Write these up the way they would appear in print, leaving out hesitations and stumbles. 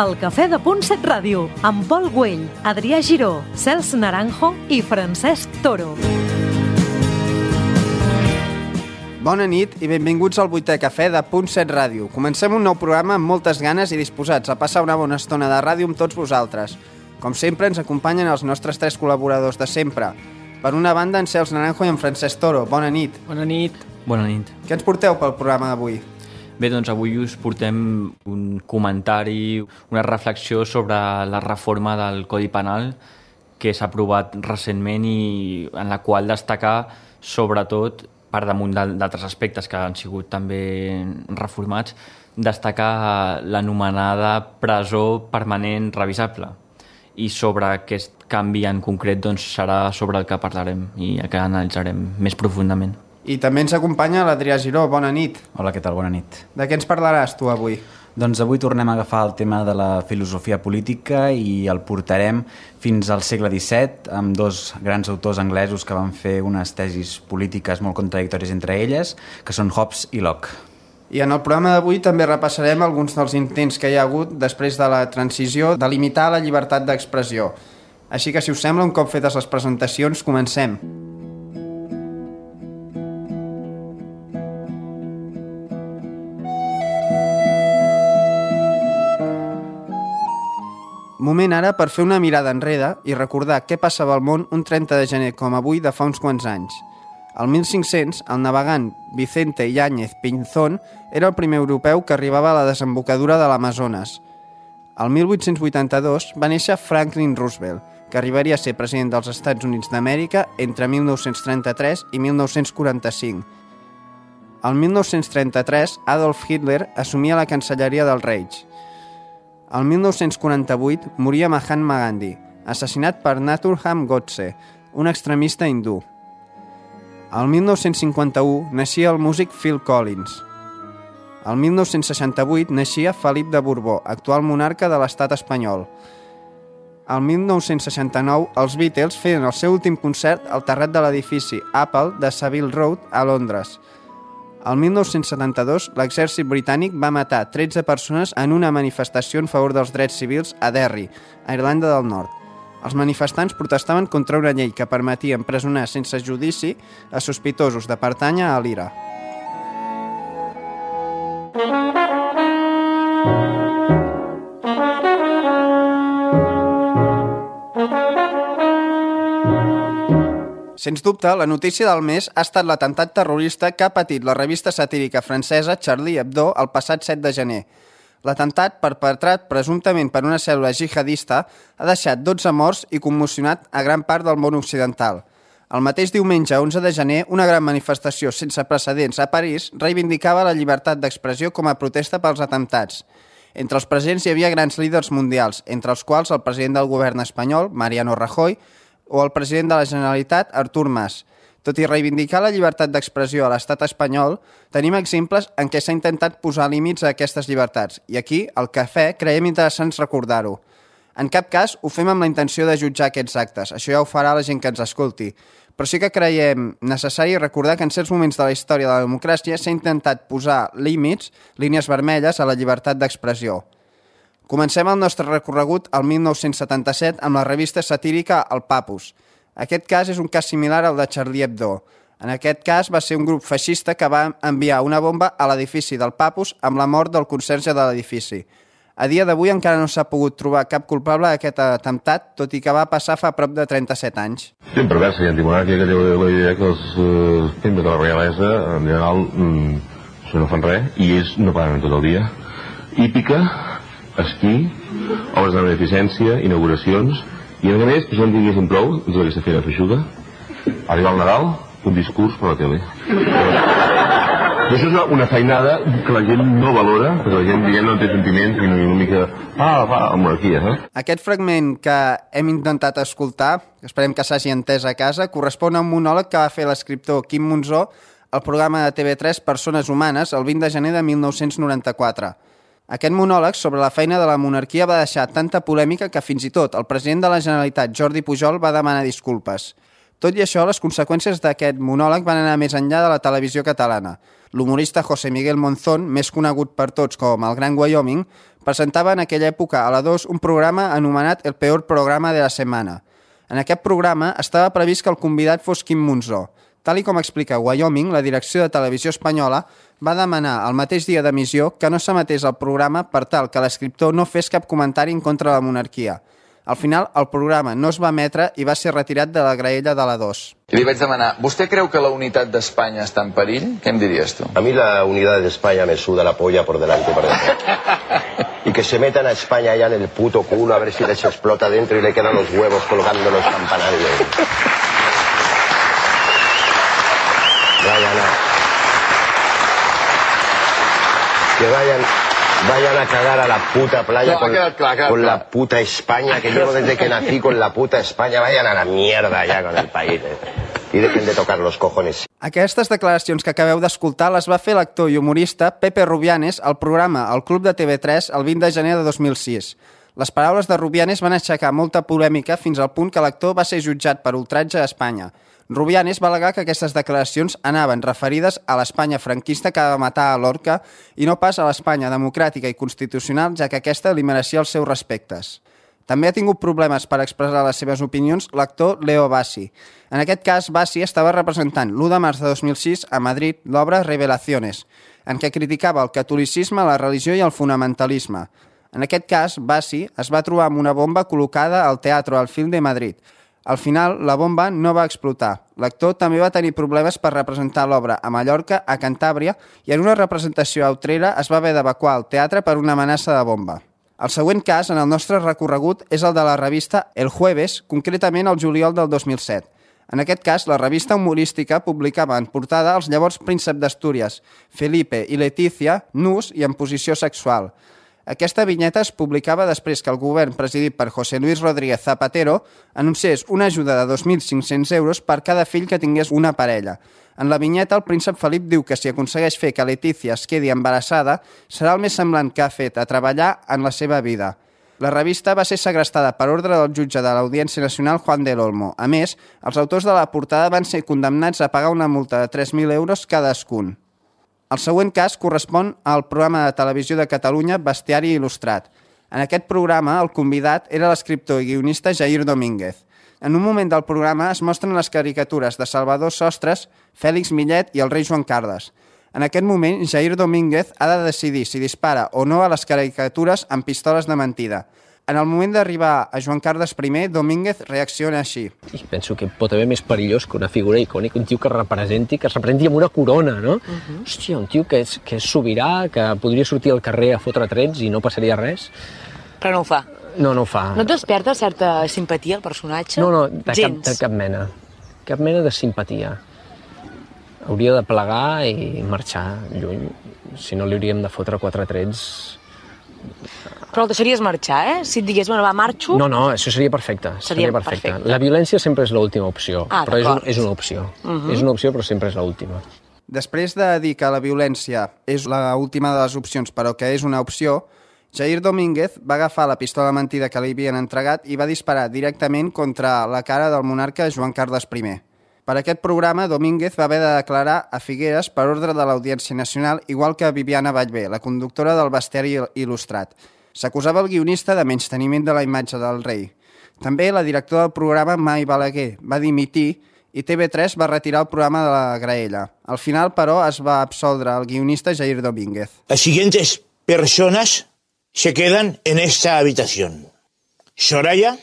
El Cafè de Punt 7 Ràdio, amb Pol Güell, Adrià Giró, Cels Naranjo i Francesc Toro. Bona nit i benvinguts al 8è Cafè de Punt 7 Ràdio. Comencem un nou programa amb moltes ganes i disposats a passar una bona estona de ràdio amb tots vosaltres. Com sempre, ens acompanyen els nostres 3 col·laboradors de sempre. Per una banda, en Cels Naranjo i en Francesc Toro. Bona nit. Bona nit. Bona nit. Què ens porteu pel programa d'avui? Bé, doncs avui us portem un comentari, una reflexió sobre la reforma del Codi Penal que s'ha aprovat recentment i en la qual destacar, sobretot, per damunt d'altres aspectes que han sigut també reformats, destacar l'anomenada presó permanent revisable. I sobre aquest canvi en concret doncs, serà sobre el que parlarem i el que analitzarem més profundament. I també ens acompanya l'Adrià Giró. Bona nit. Hola, què tal? Bona nit. De què ens parlaràs tu avui? Doncs avui tornem a agafar el tema de la filosofia política i el portarem fins al segle XVII amb 2 grans autors anglesos que van fer unes tesis polítiques molt contradictòries entre elles, que són Hobbes i Locke. I en el programa d'avui també repassarem alguns dels intents que hi ha hagut després de la transició de limitar la llibertat d'expressió. Així que, si us sembla, un cop fetes les presentacions, comencem. Moment ara per fer una mirada enrere i recordar què passava al món un 30 de gener com avui de fa uns quants anys. Al 1500, el navegant Vicente Yáñez Pinzón era el primer europeu que arribava a la desembocadura de l'Amazones. Al 1882 va néixer Franklin Roosevelt, que arribaria a ser president dels Estats Units d'Amèrica entre 1933 i 1945. Al 1933, Adolf Hitler assumia la cancelleria del Reich. Al 1948 moria Mahatma Gandhi, assassinat per Nathuram Godse, un extremista hindú. Al 1951 naixia el músic Phil Collins. Al 1968 naixia Felip de Borbó, actual monarca de l'estat espanyol. Al 1969 els Beatles feien el seu últim concert al terrat de l'edifici Apple de Savile Road a Londres. Al 1972, l'exèrcit britànic va matar 13 persones en una manifestació en favor dels drets civils a Derry, a Irlanda del Nord. Els manifestants protestaven contra una llei que permetia empresonar sense judici a sospitosos de pertànyer a l'IRA. Sens dubte, la notícia del mes ha estat l'atemptat terrorista que ha patit la revista satírica francesa Charlie Hebdo el passat 7 de gener. L'atemptat, perpetrat presumptament per una cèl·lula jihadista, ha deixat 12 morts i commocionat a gran part del món occidental. El mateix diumenge, 11 de gener, una gran manifestació sense precedents a París reivindicava la llibertat d'expressió com a protesta pels atemptats. Entre els presents hi havia grans líders mundials, entre els quals el president del govern espanyol, Mariano Rajoy, o el president de la Generalitat, Artur Mas. Tot i reivindicar la llibertat d'expressió a l'estat espanyol, tenim exemples en què s'ha intentat posar límits a aquestes llibertats, i aquí, al Cafè, creiem interessant recordar-ho. En cap cas ho fem amb la intenció de jutjar aquests actes, això ja ho farà la gent que ens escolti, però sí que creiem necessari recordar que en certs moments de la història de la democràcia s'ha intentat posar límits, línies vermelles, a la llibertat d'expressió. Comencem el nostre recorregut al 1977 amb la revista satírica El Papus. Aquest cas és un cas similar al de Charlie Hebdo. En aquest cas va ser un grup feixista que va enviar una bomba a l'edifici del Papus amb la mort del conserge de l'edifici. A dia d'avui encara no s'ha pogut trobar cap culpable d'aquest atemptat, tot i que va passar fa prop de 37 anys. Sempre perversa i antimonàrquica que té la idea que els membres de la realesa en general no fan res i ells no paren tot el dia. Hípica, esquí, obres de beneficència, inauguracions, i a més, que jo en diguéssim prou, és aquesta feina feixuga, arribar al Nadal, un discurs per la tele. I això és una feinada que la gent no valora, perquè la gent, diguem, no té sentiments i una mica, monarquia, Aquest fragment que hem intentat escoltar, esperem que s'hagi entès a casa, correspon a un monòleg que va fer l'escriptor Quim Monzó al programa de TV3 Persones Humanes el 20 de gener de 1994. Aquest monòleg sobre la feina de la monarquia va deixar tanta polèmica que fins i tot el president de la Generalitat, Jordi Pujol, va demanar disculpes. Tot i això, les conseqüències d'aquest monòleg van anar més enllà de la televisió catalana. L'humorista José Miguel Monzón, més conegut per tots com el Gran Wyoming, presentava en aquella època a la 2 un programa anomenat El peor programa de la setmana. En aquest programa estava previst que el convidat fos Quim Monzó. Tal i com explica Wyoming, la direcció de televisió espanyola va demanar el mateix dia d'emissió que no s'emetés el programa per tal que l'escriptor no fes cap comentari en contra de la monarquia. Al final, el programa no es va emetre i va ser retirat de la graella de la 2. I li vaig demanar, ¿vostè creu que la unitat d'Espanya està en perill? Què em diries tu? A mí la unidad de España me suda la polla por delante y por detrás. Y que se metan a España ya en el puto culo a ver si les explota dentro y le quedan los huevos colgando en los campanarios. Vayan a cagar a la puta playa con la puta España, que llevo desde que nací con la puta España. Vayan a la mierda ya con el país. I dejen de tocar los cojones. Aquestes declaracions que acabeu d'escoltar les va fer l'actor i humorista Pepe Rubianes al programa El Club de TV3 el 20 de gener de 2006. Les paraules de Rubianes van aixecar molta polèmica fins al punt que l'actor va ser jutjat per ultratge a Espanya. Rubianes va al·legar que aquestes declaracions anaven referides a l'Espanya franquista que va matar a Lorca i no pas a l'Espanya democràtica i constitucional, ja que aquesta li mereixia els seus respectes. També ha tingut problemes per expressar les seves opinions l'actor Leo Bassi. En aquest cas, Bassi estava representant l'1 de març de 2006 a Madrid l'obra Revelaciones, en què criticava el catolicisme, la religió i el fonamentalisme. En aquest cas, Bassi es va trobar amb una bomba col·locada al Teatro Alfil de Madrid. Al final, la bomba no va explotar. L'actor també va tenir problemes per representar l'obra a Mallorca, a Cantàbria, i en una representació a Utrera es va haver d'evacuar el teatre per una amenaça de bomba. El següent cas en el nostre recorregut és el de la revista El Jueves, concretament el juliol del 2007. En aquest cas, la revista humorística publicava en portada els llavors príncep d'Astúries, Felipe i Leticia, nus i en posició sexual. Aquesta vinyeta es publicava després que el govern presidit per José Luis Rodríguez Zapatero anunciés una ajuda de 2.500 euros per cada fill que tingués una parella. En la vinyeta, el príncep Felip diu que si aconsegueix fer que Leticia es quedi embarassada, serà el més semblant que ha fet a treballar en la seva vida. La revista va ser segrestada per ordre del jutge de l'Audiència Nacional Juan del Olmo. A més, els autors de la portada van ser condemnats a pagar una multa de 3.000 euros cadascun. El següent cas correspon al programa de televisió de Catalunya Bestiari Il·lustrat. En aquest programa, el convidat era l'escriptor i guionista Jair Domínguez. En un moment del programa es mostren les caricatures de Salvador Sostres, Fèlix Millet i el rei Joan Carles. En aquest moment, Jair Domínguez ha de decidir si dispara o no a les caricatures amb pistoles de mentida. En el moment d'arribar a Joan Carles I, Domínguez reacciona així. I penso que pot haver més perillós que una figura icònica, un tio que es representi amb una corona, no? Hòstia, un tio que és sobirà, que podria sortir al carrer a fotre trets i no passaria res. Però no ho fa. No ho fa. No et desperta certa simpatia al personatge? No, de cap mena. Cap mena de simpatia. Hauria de plegar i marxar lluny. Si no, li hauríem de fotre 4 trets. Però el deixaries marxar, Si et digués, bueno, va, marxo... No, això seria perfecte. Seria perfecte. La violència sempre és l'última opció, però és una opció. És una opció, però sempre és l'última. Després de dir que la violència és l'última de les opcions, però que és una opció, Jair Domínguez va agafar la pistola mentida que li havien entregat i va disparar directament contra la cara del monarca Joan Carles I. Per aquest programa, Domínguez va haver de declarar a Figueres per ordre de l'Audiència Nacional, igual que Viviana Vallvé, la conductora del Bestiari Il·lustrat. S'acusava el guionista de menysteniment de la imatge del rei. També la directora del programa, Mai Balaguer, va dimitir i TV3 va retirar el programa de la graella. Al final, però, es va absoldre el guionista Jair Domínguez. Las siguientes personas se quedan en esta habitación: Soraya,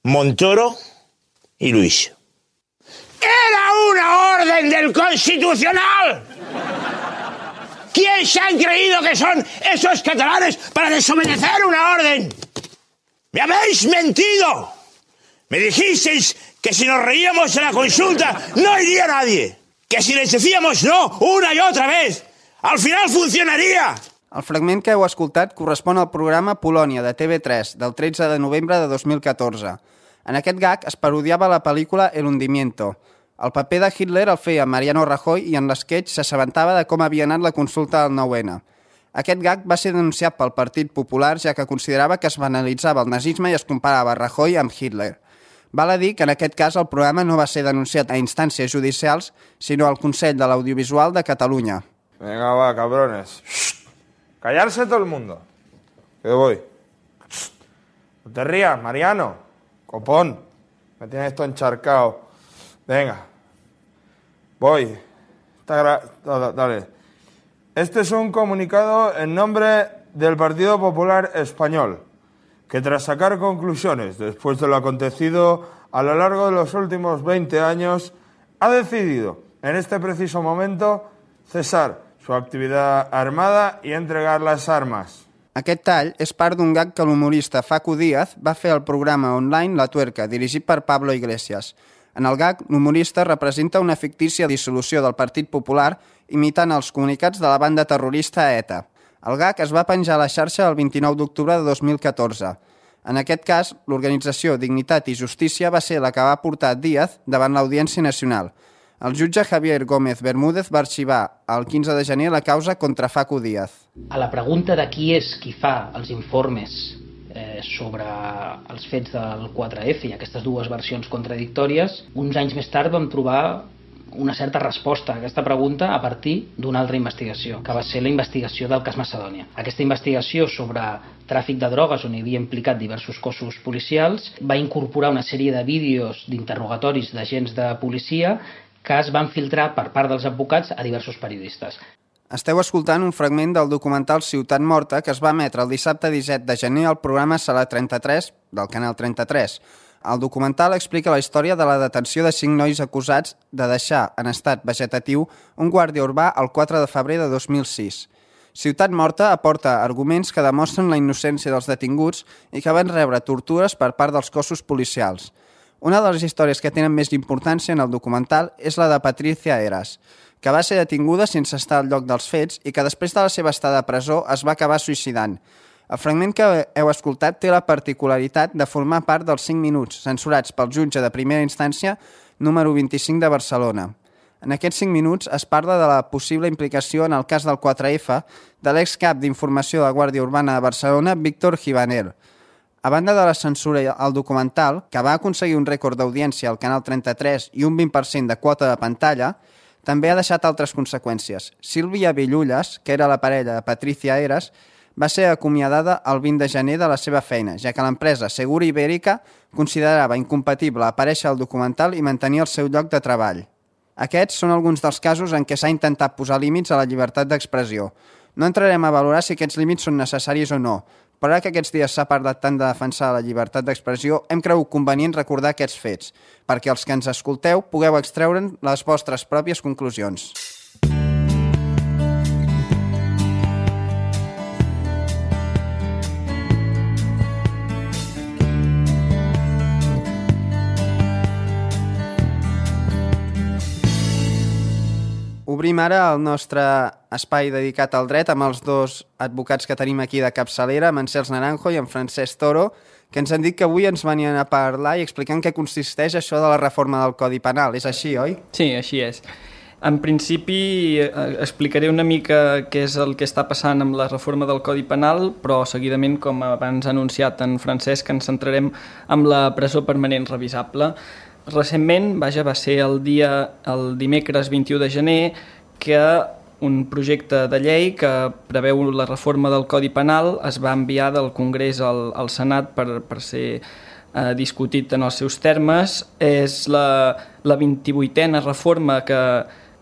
Montoro y Luis. ¡Era una orden del Constitucional! ¿Quién se han creído que son esos catalanes para desobedecer una orden? ¡Me habéis mentido! Me dijisteis que si nos reíamos en la consulta no iría nadie. Que si les decíamos no una y otra vez, al final funcionaría. El fragment que heu escoltat correspon al programa Polònia de TV3 del 13 de novembre de 2014. En aquest gag es parodiava la pel·lícula El hundimiento. El paper de Hitler el feia Mariano Rajoy i en l'esquetx s'assabentava de com havia anat la consulta del 9-N. Aquest gag va ser denunciat pel Partit Popular, ja que considerava que es banalitzava el nazisme i es comparava Rajoy amb Hitler. Val a dir que en aquest cas el programa no va ser denunciat a instàncies judicials, sinó al Consell de l'Audiovisual de Catalunya. Venga, va, cabrones. Callarse todo el mundo. Que voy. No te rías, Mariano. Copón. Me tienes esto encharcado. Venga. Voy. Dale. Este es un comunicado en nombre del Partido Popular Español, que tras sacar conclusiones después de lo acontecido a lo largo de los últimos 20 años, ha decidido en este preciso momento cesar su actividad armada i entregar les armes. Aquest tall és part d'un gag que l'humorista Facu Díaz va fer al programa online La Tuerca, dirigit per Pablo Iglesias. En el gag, l'humorista representa una fictícia dissolució del Partit Popular imitant els comunicats de la banda terrorista ETA. El gag es va penjar a la xarxa el 29 d'octubre de 2014. En aquest cas, l'organització Dignitat i Justícia va ser la que va portar Díaz davant l'Audiència Nacional. El jutge Javier Gómez Bermúdez va arxivar el 15 de gener la causa contra Facu Díaz. A la pregunta de qui és qui fa els informes sobre els fets del 4F i aquestes dues versions contradictòries, uns anys més tard vam trobar una certa resposta a aquesta pregunta a partir d'una altra investigació, que va ser la investigació del cas Macedònia. Aquesta investigació sobre tràfic de drogues, on hi havia implicat diversos cossos policials, va incorporar una sèrie de vídeos d'interrogatoris d'agents de policia que es van filtrar per part dels advocats a diversos periodistes. Esteu escoltant un fragment del documental Ciutat Morta que es va emetre el dissabte 17 de gener al programa Sala 33 del Canal 33. El documental explica la història de la detenció de 5 nois acusats de deixar en estat vegetatiu un guàrdia urbà el 4 de febrer de 2006. Ciutat Morta aporta arguments que demostren la innocència dels detinguts i que van rebre tortures per part dels cossos policials. Una de les històries que tenen més importància en el documental és la de Patricia Heras, que va ser detinguda sense estar al lloc dels fets i que després de la seva estada a presó es va acabar suïcidant. El fragment que heu escoltat té la particularitat de formar part dels 5 minuts censurats pel jutge de primera instància número 25 de Barcelona. En aquests 5 minuts es parla de la possible implicació en el cas del 4F de l'excap d'informació de la Guàrdia Urbana de Barcelona, Víctor Givaner. A banda de la censura al documental, que va aconseguir un rècord d'audiència al Canal 33 i un 20% de quota de pantalla, també ha deixat altres conseqüències. Sílvia Villulles, que era la parella de Patricia Heras, va ser acomiadada el 20 de gener de la seva feina, ja que l'empresa Segura Ibèrica considerava incompatible aparèixer al documental i mantenir el seu lloc de treball. Aquests són alguns dels casos en què s'ha intentat posar límits a la llibertat d'expressió. No entrarem a valorar si aquests límits són necessaris o no, però que aquests dies s'ha parlat tant de defensar la llibertat d'expressió, hem cregut convenient recordar aquests fets, perquè els que ens escolteu pugueu extreure'n les vostres pròpies conclusions. Obrim ara el nostre espai dedicat al dret amb els dos advocats que tenim aquí de capçalera, amb en Cels Naranjo i en Francesc Toro, que ens han dit que avui ens venien a parlar i explicar en què consisteix això de la reforma del Codi Penal. És així, oi? Sí, així és. En principi explicaré una mica què és el que està passant amb la reforma del Codi Penal, però seguidament, com abans ha anunciat en Francesc, ens centrarem en la presó permanent revisable. Recentment, va ser el dimecres 21 de gener, que un projecte de llei que preveu la reforma del Codi Penal es va enviar del Congrés al Senat per ser discutit en els seus termes. És la 28a reforma que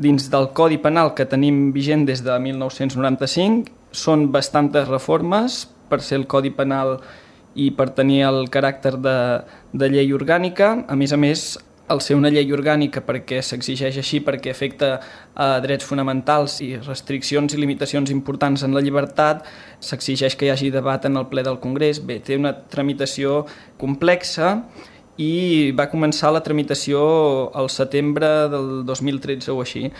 dins del Codi Penal que tenim vigent des de 1995. Són bastantes reformes per ser el Codi Penal i per tenir el caràcter de llei orgànica. A més, al ser una llei orgànica perquè s'exigeix així perquè afecta a drets fonamentals i restriccions i limitacions importants en la llibertat, s'exigeix que hi hagi debat en el ple del Congrés. Bé, té una tramitació complexa i va començar la tramitació al setembre del 2013 o així.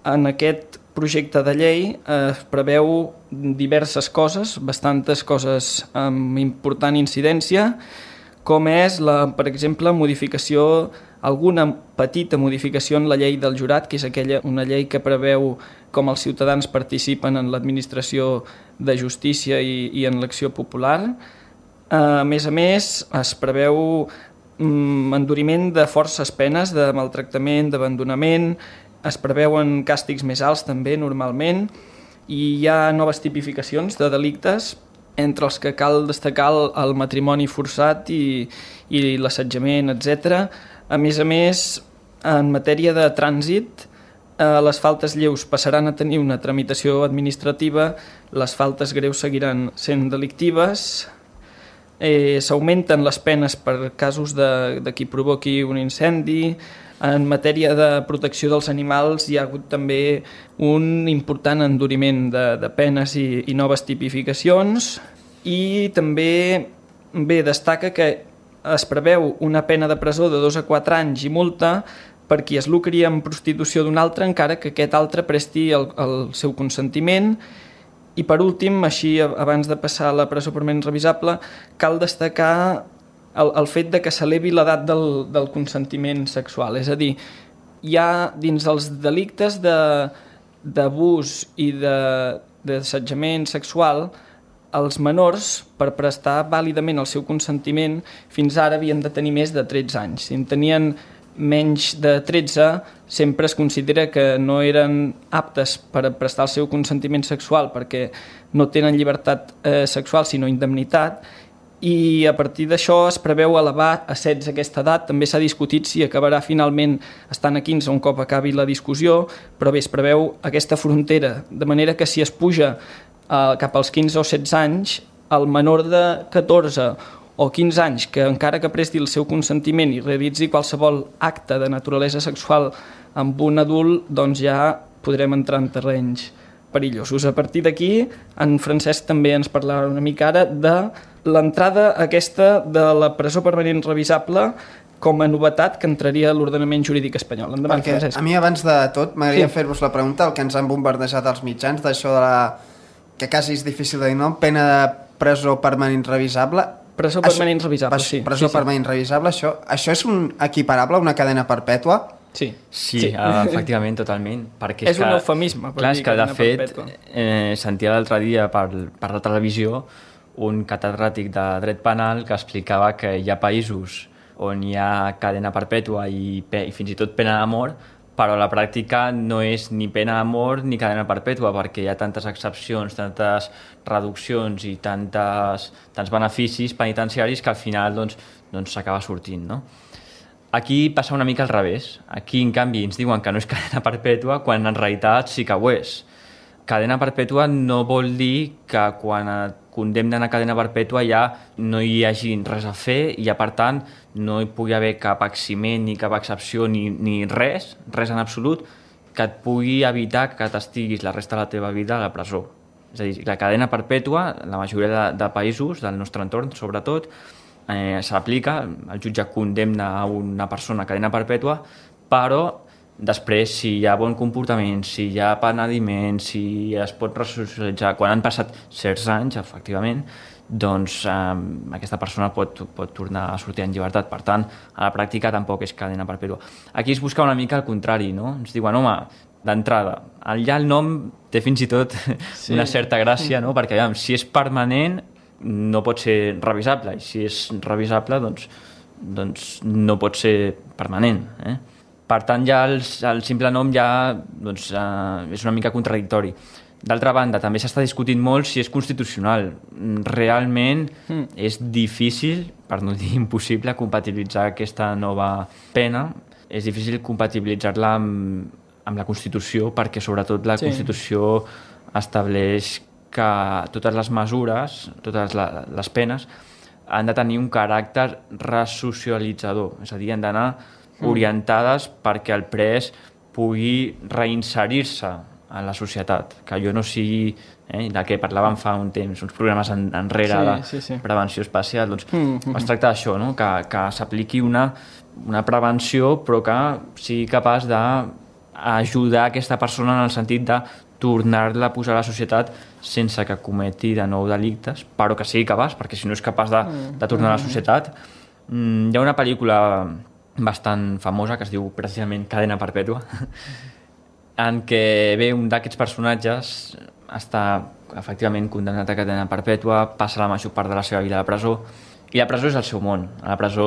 En aquest projecte de llei es preveu diverses coses, bastantes coses amb important incidència, com és, per exemple, alguna petita modificació en la llei del jurat, que és una llei que preveu com els ciutadans participen en l'administració de justícia i en l'acció popular. A més, es preveu enduriment de forces penes, de maltractament, d'abandonament, es preveuen càstigs més alts també normalment, i hi ha noves tipificacions de delictes, entre els que cal destacar el matrimoni forçat i l'assetjament, etc. A més, en matèria de trànsit, les faltes lleus passaran a tenir una tramitació administrativa, les faltes greus seguiran sent delictives, s'augmenten les penes per casos de qui provoqui un incendi. En matèria de protecció dels animals hi ha hagut també un important enduriment de penes i noves tipificacions, i també destaca que es preveu una pena de presó de 2 a 4 anys i multa per qui es lucri amb prostitució d'un altre encara que aquest altre presti el seu consentiment. I per últim, així abans de passar a la presó permanent revisable, cal destacar el fet de que s'elevi l'edat del consentiment sexual. És a dir, hi ha dins els delictes d'abús i d'assetjament sexual, els menors, per prestar vàlidament el seu consentiment, fins ara havien de tenir més de 13 anys. Si en tenien menys de 13, sempre es considera que no eren aptes per prestar el seu consentiment sexual perquè no tenen llibertat sexual, sinó indemnitat, i a partir d'això es preveu elevar a 16 aquesta edat. També s'ha discutit si acabarà finalment estant a 15 un cop acabi la discussió, però bé, es preveu aquesta frontera, de manera que si es puja cap als 15 o 16 anys, el menor de 14 o 15 anys que encara que presti el seu consentiment i realitzi qualsevol acte de naturalesa sexual amb un adult, doncs ja podrem entrar en terrenys perillosos. A partir d'aquí, en Francesc també ens parlarà una mica ara de l'entrada aquesta de la presó permanent revisable com a novetat que entraria a l'ordenament jurídic espanyol. Endavant, Francesc. A mi, abans de tot, m'agradaria fer-vos la pregunta, el que ens han bombardejat els mitjans, d'això de que quasi és difícil de dir nom, pena de presó permanent revisable. Presó permanent revisable, sí. Presó permanent revisable, això és equiparable a una cadena perpètua? Sí, efectivament, totalment. Perquè és un eufemisme. Clar, és que de fet sentia l'altre dia per la televisió un catedràtic de dret penal que explicava que hi ha països on hi ha cadena perpètua i fins i tot pena de mort, però a la pràctica no és ni pena de mort ni cadena perpètua, perquè hi ha tantes excepcions, tantes reduccions i tants beneficis penitenciaris que al final s'acaba sortint, no? Aquí passa una mica al revés. Aquí, en canvi, ens diuen que no és cadena perpètua quan en realitat sí que ho és. Cadena perpètua no vol dir que quan et condemnen a cadena perpètua ja no hi hagi res a fer i ja, per tant, no hi pugui haver cap eximent ni cap excepció ni res en absolut que et pugui evitar que t'estiguis la resta de la teva vida a la presó. És a dir, la cadena perpètua, la majoria de països del nostre entorn, sobretot, s'aplica, el jutge condemna a una persona a cadena perpètua, però després, si hi ha bon comportament, si hi ha penediment, si es pot resocialitzar, quan han passat certs anys, efectivament, doncs aquesta persona pot tornar a sortir en llibertat. Per tant, a la pràctica tampoc és cadena perpètua. Aquí es busca una mica el contrari, no? Ens diuen, home, d'entrada, ja el nom té fins i tot una certa gràcia, no? Perquè, si és permanent, no pot ser revisable, i si és revisable, doncs no pot ser permanent, Per tant, ja el simple nom ja és una mica contradictori. D'altra banda, també s'està discutint molt si és constitucional. Realment és difícil, per no dir impossible, compatibilitzar aquesta nova pena. És difícil compatibilitzar-la amb la Constitució, perquè sobretot la Constitució estableix que totes les mesures, totes les penes, han de tenir un caràcter resocialitzador, és a dir, han d'anar orientades perquè el pres pugui reinserir-se en la societat, que allò no sigui de què parlàvem fa un temps, uns programes enrere de prevenció espacial, doncs es tracta d'això, no? Que s'apliqui una prevenció però que sigui capaç d'ajudar aquesta persona en el sentit de tornar-la a posar a la societat sense que cometi de nou delictes, però que sigui capaç, perquè si no és capaç de tornar a la societat. Hi ha una pel·lícula bastant famosa que es diu precisament Cadena Perpètua, en què un d'aquests personatges està efectivament condemnat a cadena perpètua, passa la major part de la seva vida a la presó I la presó és el seu món. A la presó,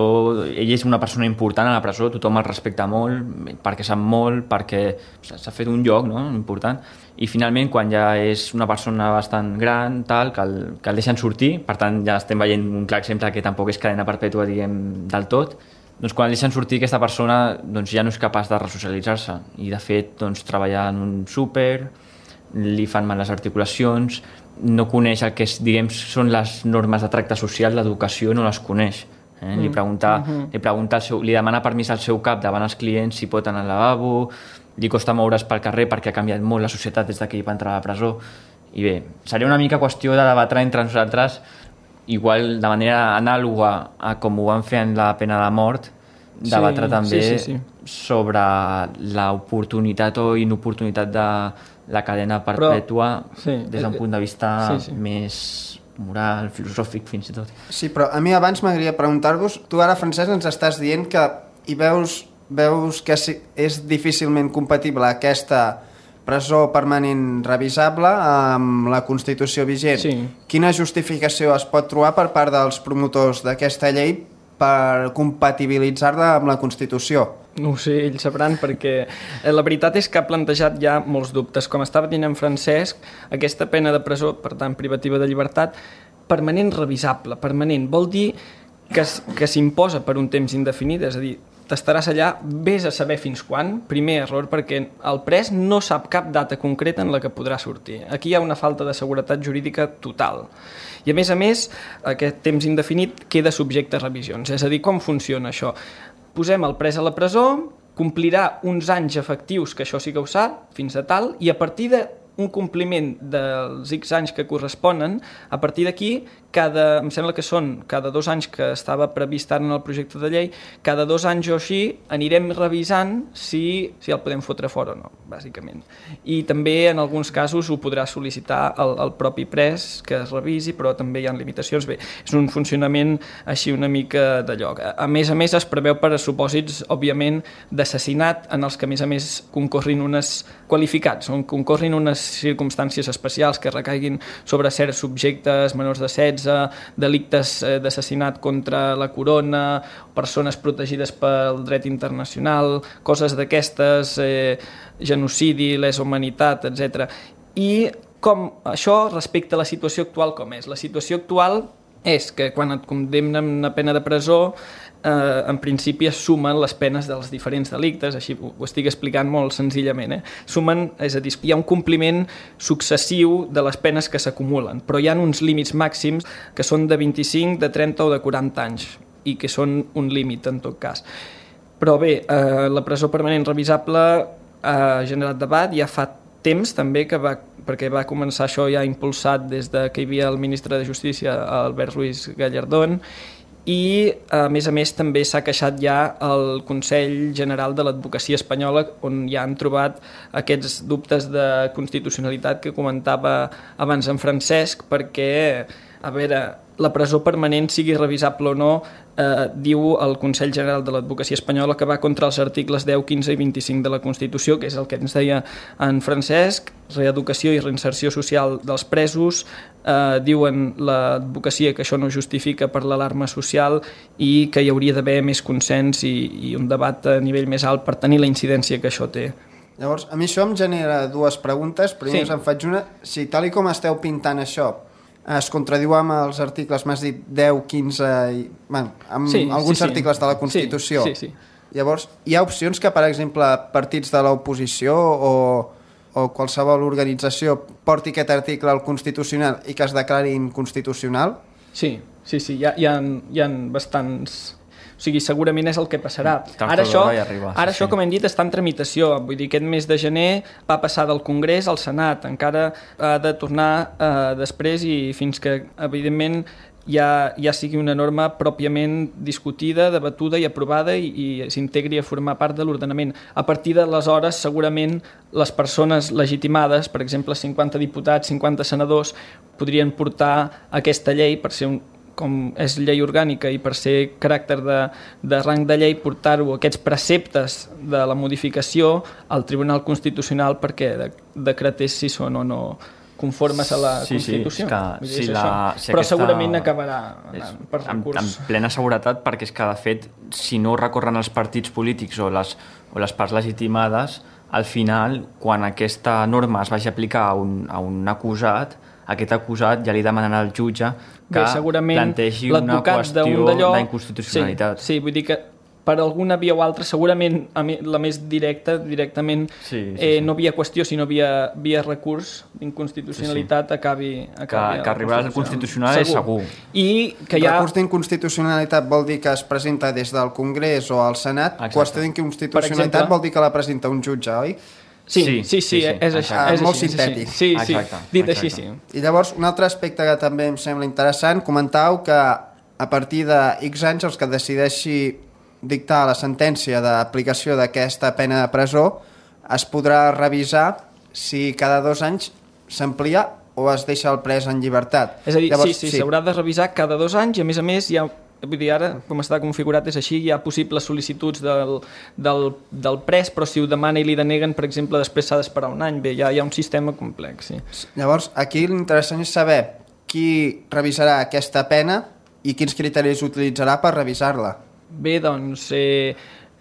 ell és una persona important a la presó, tothom el respecta molt, perquè sap molt, perquè s'ha fet un lloc, no?, important. I finalment, quan ja és una persona bastant gran, tal, que el deixen sortir, per tant ja estem veient un clar exemple que tampoc és cadena perpètua, diguem, del tot, doncs quan el deixen sortir aquesta persona doncs ja no és capaç de resocialitzar-se i de fet doncs, treballa en un súper, li fan mal les articulacions, no coneix el que és, diguem, són les normes de tracte social, l'educació no les coneix. Li demana permís al seu cap davant els clients si pot anar al lavabo, li costa moure's pel carrer perquè ha canviat molt la societat des que ell va entrar a la presó. I bé, seria una mica qüestió de debatre entre nosaltres, igual de manera anàloga a com ho van fer en la pena de mort, debatre també sobre l'oportunitat o inoportunitat de la cadena perpètua des d'un punt de vista més moral, filosòfic fins i tot. Sí, però a mi abans m'agradaria preguntar-vos, tu ara, Francesc, ens estàs dient que hi veus que és difícilment compatible aquesta presó permanent revisable amb la Constitució vigent. Sí. Quina justificació es pot trobar per part dels promotors d'aquesta llei per compatibilitzar-la amb la Constitució? No ho sé, ells sabran, perquè la veritat és que ha plantejat ja molts dubtes. Com estava dient en Francesc, aquesta pena de presó, per tant, privativa de llibertat, permanent revisable. Permanent vol dir que s'imposa per un temps indefinit, és a dir, t'estaràs allà, vés a saber fins quan. Primer error, perquè el pres no sap cap data concreta en la que podrà sortir. Aquí hi ha una falta de seguretat jurídica total. I a més, aquest temps indefinit queda subjecte a revisions. És a dir, com funciona això? Posem el pres a la presó, complirà uns anys efectius, que això sí que ho sap, fins a tal, i a partir d'un compliment dels X anys que corresponen, a partir d'aquí, em sembla que són cada 2 anys que estava previst ara en el projecte de llei, cada 2 anys o així anirem revisant si el podem fotre fora o no, bàsicament. I també en alguns casos ho podrà sol·licitar el propi pres que es revisi, però també hi ha limitacions. Bé, és un funcionament així una mica de lloc. A més, es preveu per a supòsits, òbviament, d'assassinat en els que, a més, concorrin unes qualificats, on concorrin unes circumstàncies especials que recaiguin sobre certs subjectes menors de 16, delictes d'assassinat contra la corona, persones protegides pel dret internacional, coses d'aquestes, genocidi, lesa humanitat, etc. I com això respecte a la situació actual com és? La situació actual és que quan et condemnen a pena de presó, en principi es sumen les penes dels diferents delictes, així ho estic explicant molt senzillament. Sumen, és a dir, hi ha un compliment successiu de les penes que s'acumulen, però hi ha uns límits màxims que són de 25, de 30 o de 40 anys, i que són un límit en tot cas. Però bé, la presó permanent revisable ha generat debat, ja fa temps també perquè va començar això ja impulsat des que hi havia el ministre de Justícia, Albert Ruiz Gallardón, i a més també s'ha queixat ja el Consell General de l'Advocacia Espanyola, on ja han trobat aquests dubtes de constitucionalitat que comentava abans en Francesc, perquè, a veure, la presó permanent, sigui revisable o no, diu el Consell General de l'Advocacia Espanyola que va contra els articles 10, 15 i 25 de la Constitució, que és el que ens deia en Francesc, reeducació i reinserció social dels presos, diuen l'advocacia que això no justifica per l'alarma social i que hi hauria d'haver més consens i un debat a nivell més alt per tenir la incidència que això té. Llavors, a mi això em genera 2 preguntes. Primer us en faig una. Si tal com esteu pintant això es contradiu amb els articles, m'has dit 10, 15, alguns articles de la Constitució. Sí. Llavors, hi ha opcions que, per exemple, partits de l'oposició o qualsevol organització porti aquest article al Constitucional i que es declari inconstitucional? Sí, hi ha bastants... O sigui, segurament és el que passarà. Ara això, com hem dit, està en tramitació. Vull dir, aquest mes de gener va passar del Congrés al Senat. Encara ha de tornar després i fins que, evidentment, ja sigui una norma pròpiament discutida, debatuda i aprovada i s'integri a formar part de l'ordenament. A partir d'aleshores, segurament, les persones legitimades, per exemple, 50 diputats, 50 senadors, podrien portar aquesta llei per ser com és llei orgànica i per ser caràcter de rang de llei, portar-ho, aquests preceptes de la modificació al Tribunal Constitucional perquè decretés si són o no conformes a la Constitució. Però segurament acabarà per recurs. En plena seguretat, perquè és que, de fet, si no recorren els partits polítics o les parts legitimades, al final, quan aquesta norma es vagi a aplicar a un acusat, aquest acusat ja li demanen al jutge que plantegi una qüestió d'inconstitucionalitat. Sí, vull dir que per alguna via o altra, segurament la més directament no via qüestió, sinó via recurs d'inconstitucionalitat acabi que arribarà al Constitucional és segur. I que recurs d'inconstitucionalitat vol dir que es presenta des del Congrés o al Senat. Qüestió d'inconstitucionalitat vol dir que la presenta un jutge, oi? Sí, és això. És molt sintètic. Sí, dit així, sí. I llavors, un altre aspecte que també em sembla interessant, comentàveu que a partir de X anys els que decideixi dictar la sentència d'aplicació d'aquesta pena de presó es podrà revisar si cada 2 anys s'amplia o es deixa el pres en llibertat. És a dir, llavors, s'haurà de revisar cada 2 anys i a més hi ha, vull dir, ara com està configurat és així, hi ha possibles sol·licituds del pres, però si ho demana i li deneguen, per exemple, després s'ha d'esperar un any. Bé, hi ha un sistema complex. Llavors, aquí l'interessant és saber qui revisarà aquesta pena i quins criteris utilitzarà per revisar-la. Bé, doncs...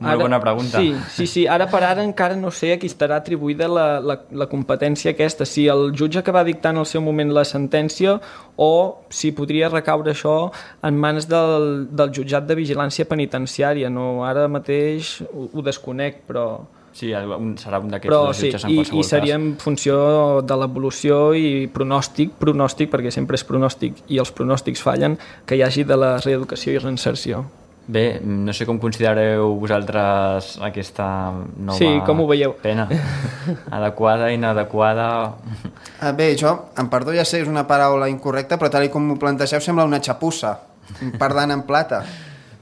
Molt bona pregunta. Sí. Ara per ara encara no sé a qui estarà atribuïda la competència aquesta. Si el jutge que va dictar en el seu moment la sentència o si podria recaure això en mans del jutjat de vigilància penitenciària. No, ara mateix ho desconec, però... Sí, serà un d'aquests dos jutges en qualsevol cas. I seria en funció de l'evolució i pronòstic, perquè sempre és pronòstic i els pronòstics fallen, que hi hagi de la reeducació i reinserció. Bé, no sé com considereu vosaltres aquesta nova com ho veieu? Pena. Adequada, inadequada... Bé, jo, em perdó, ja sé, és una paraula incorrecta, però tal com ho plantegeu sembla una xapussa, parlant en plata.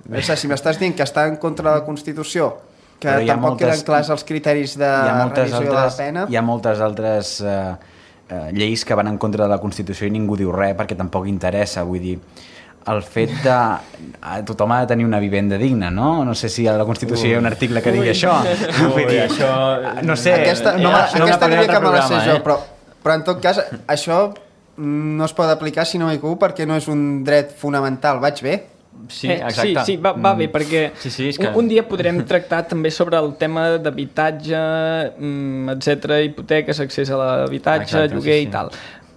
Si m'estàs dient que està en contra de la Constitució, que tampoc queden clars els criteris de revisió de la pena... Hi ha moltes altres lleis que van en contra de la Constitució i ningú diu res perquè tampoc interessa, vull dir... El fet de... Tothom ha de tenir una vivenda digna, no? No sé si a la Constitució hi ha un article que digui això. Vull dir, això... No sé... Aquesta diria que me la sé jo, però en tot cas això no es pot aplicar si no m'equivoco perquè no és un dret fonamental. Vaig bé? Sí, exacte. Sí, va bé, perquè un dia podrem tractar també sobre el tema d'habitatge, etc., hipoteques, accés a l'habitatge, lloguer i tal.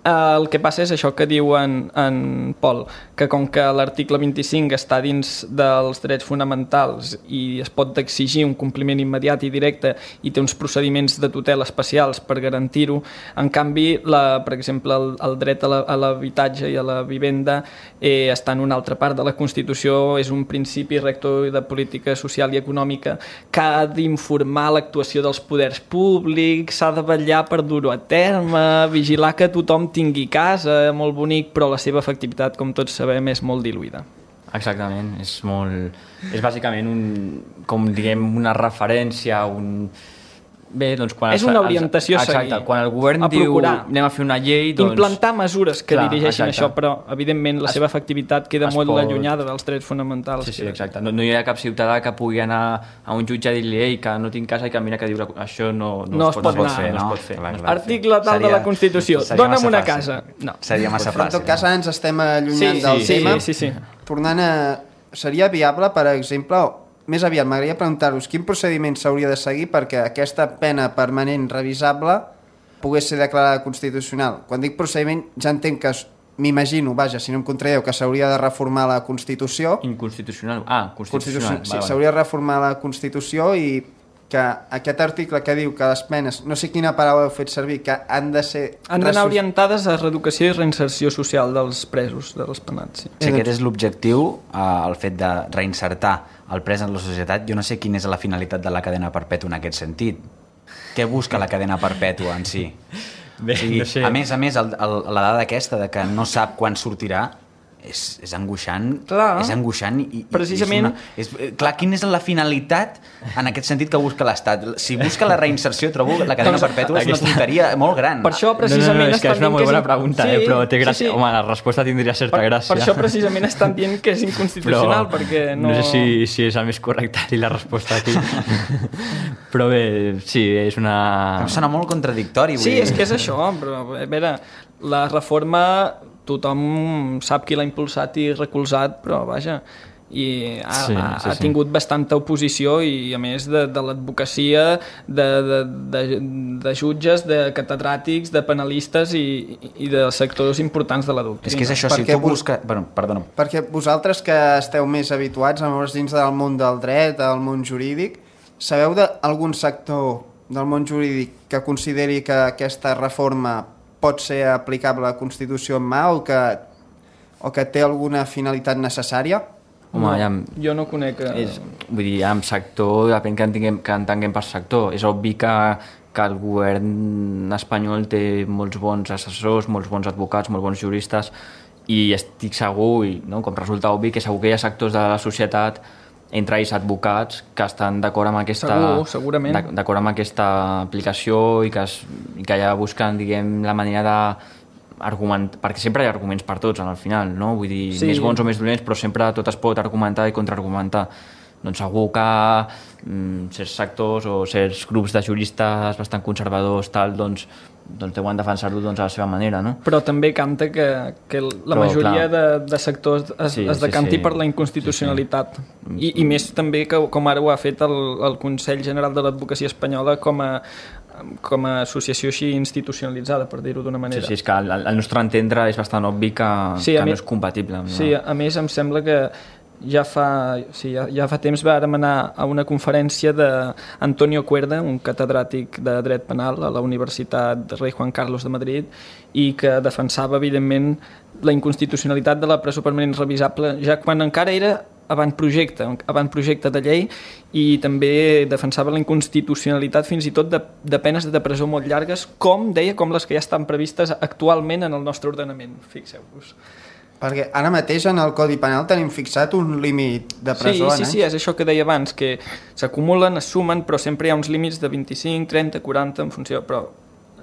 El que passa és això que diu en Pol, que com que l'article 25 està dins dels drets fonamentals i es pot exigir un compliment immediat i directe i té uns procediments de tutela especials per garantir-ho, en canvi, per exemple, el dret a l'habitatge i a la vivenda està en una altra part de la Constitució, és un principi rector de política social i econòmica que ha d'informar l'actuació dels poders públics, s'ha de vetllar per dur-ho a terme, vigilar que tothom tingui casa, molt bonic, però la seva efectivitat, com tots sabem, és molt diluïda. Exactament, és bàsicament una referència, Bé, doncs quan és una orientació a seguir. Exacte, quan el govern diu anem a fer una llei, doncs... Implantar mesures que dirigeixin això, però evidentment la seva efectivitat queda molt allunyada dels drets fonamentals. Sí, exacte. No hi ha cap ciutadà que pugui anar a un jutge a dir-li que no tinc casa i que mira que diu això no es pot fer. Article tal de la Constitució, dona'm una casa. Seria massa fàcil. En tot cas, ara ens estem allunyant del tema. Tornant a... Seria viable, per exemple... Més aviat, m'agradaria preguntar-vos quin procediment s'hauria de seguir perquè aquesta pena permanent revisable pogués ser declarada constitucional. Quan dic procediment, ja entenc que m'imagino, si no em contradieu, que s'hauria de reformar la Constitució. Inconstitucional. Constitucional. Sí, s'hauria de reformar la Constitució i que aquest article que diu que les penes, no sé quina paraula heu fet servir, que han de ser... Han d'anar orientades a reeducació i reinserció social dels presos, dels penats. Si aquest és l'objectiu, el fet de reinsertar el pres en la societat, jo no sé quina és la finalitat de la cadena perpètua en aquest sentit. Què busca la cadena perpètua en si? Bé, no sé. A més, la dada aquesta de que no sap quan sortirà és angoixant. Clar. És angoixant i precisament... Clar, quina és la finalitat en aquest sentit que busca l'Estat? Si busca la reinserció, trobo la cadena perpètua és una tonteria molt gran. Per això precisament és que és una molt bona pregunta, però té gràcia. Home, la resposta tindria certa gràcia. Per això precisament estan dient que és inconstitucional, perquè no... No sé si és el més correcte i la resposta aquí. Però bé, sí, és una... Em sona molt contradictori. Sí, és que és això, però a veure... La reforma tothom sap qui l'ha impulsat i recolzat, però vaja, i ha tingut bastanta oposició i a més de l'advocacia, de jutges, de catedràtics, de penalistes i de sectors importants de la doctrina. És que és això, si tu busques... Perdona. Perquè vosaltres que esteu més habituats a moure's dins del món del dret, del món jurídic, sabeu d'algun sector del món jurídic que consideri que aquesta reforma pot ser aplicable a la Constitució en mà o que té alguna finalitat necessària? Home, jo no conec... Vull dir, en sector, depèn que entenguem per sector. És obvi que el govern espanyol té molts bons assessors, molts bons advocats, molts bons juristes, i estic segur, com resulta obvi, que segur que hi ha sectors de la societat, entre ells advocats, que estan d'acord amb aquesta aplicació i que ja busquen, diguem, la manera de argumentar, perquè sempre hi ha arguments per tots al final, no? Vull dir, més bons o més dolents, però sempre tot es pot argumentar i contraargumentar. Doncs segur que certs sectors o certs grups de juristes bastant conservadors doncs deuen defensar-ho a la seva manera, no? Però també canta que la majoria de sectors es decanti per la inconstitucionalitat. I més també que com ara ho ha fet el Consell General de l'Advocacia Espanyola com a associació així institucionalitzada, per dir-ho d'una manera. Sí, és que al nostre entendre és bastant obvi que no és compatible. Sí, a més em sembla que ja fa temps vàrem anar a una conferència d'Antonio Cuerda, un catedràtic de dret penal a la Universitat Rei Juan Carlos de Madrid, i que defensava evidentment la inconstitucionalitat de la presó permanent revisable ja quan encara era avantprojecte de llei, i també defensava la inconstitucionalitat fins i tot de penes de presó molt llargues, com les que ja estan previstes actualment en el nostre ordenament, fixeu-vos. Perquè ara mateix en el Codi Penal tenim fixat un límit de presó. Sí, és això que deia abans, que s'acumulen, es sumen, però sempre hi ha uns límits de 25, 30, 40, en funció, però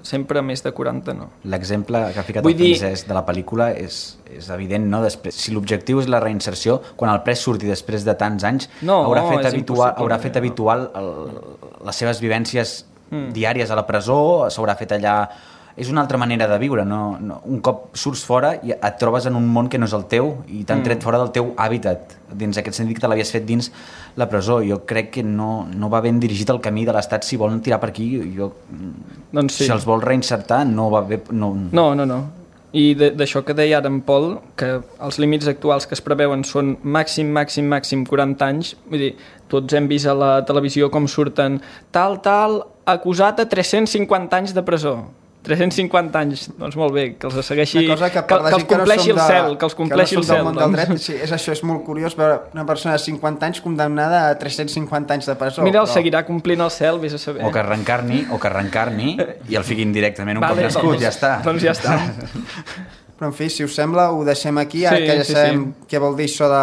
sempre més de 40 no. L'exemple que ha ficat el Francesc de la pel·lícula és evident, no? Després, si l'objectiu és la reinserció, quan el pres surti després de tants anys, haurà fet habitual les seves vivències diàries a la presó, s'haurà fet allà... És una altra manera de viure, no? Un cop surts fora i et trobes en un món que no és el teu i t'han tret fora del teu hàbitat, dins aquest sentit que te l'havies fet dins la presó. Jo crec que no va ben dirigit el camí de l'Estat si volen tirar per aquí. Si els vol reinsertar no va bé... No. I d'això que deia ara en Pol, que els límits actuals que es preveuen són màxim 40 anys, vull dir, tots hem vist a la televisió com surten tal, acusat a 350 anys de presó. 350 anys, doncs molt bé, que els segueixi, que els compleixi el cel, que els compleixi el cel. Sí, això és molt curiós veure una persona de 50 anys condemnada a 350 anys de presó. Mira, el seguirà complint el cel, vés a saber. O que reencarni i el fiquin directament un cop nascut, ja està. Doncs ja està. Però, en fi, si us sembla, ho deixem aquí, ara que ja sabem què vol dir això de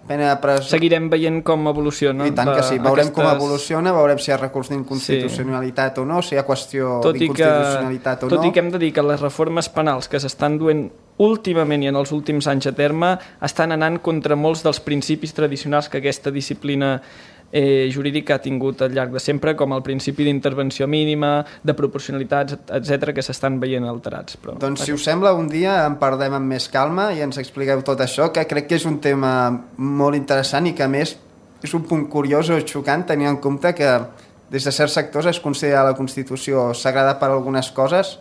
pena de presó. Seguirem veient com evoluciona. I tant que sí, veurem com evoluciona, veurem si hi ha recurs d'inconstitucionalitat o no, si hi ha qüestió d'inconstitucionalitat o no. Tot i que hem de dir que les reformes penals que s'estan duent últimament i en els últims anys a terme estan anant contra molts dels principis tradicionals que aquesta disciplina jurídica ha tingut al llarg de sempre, com el principi d'intervenció mínima, de proporcionalitats, etc, que s'estan veient alterats. Doncs si us sembla, un dia en parlem amb més calma i ens expliqueu tot això, que crec que és un tema molt interessant i que a més és un punt curiós o xocant tenint en compte que des de certs sectors es considera la Constitució sagrada per algunes coses,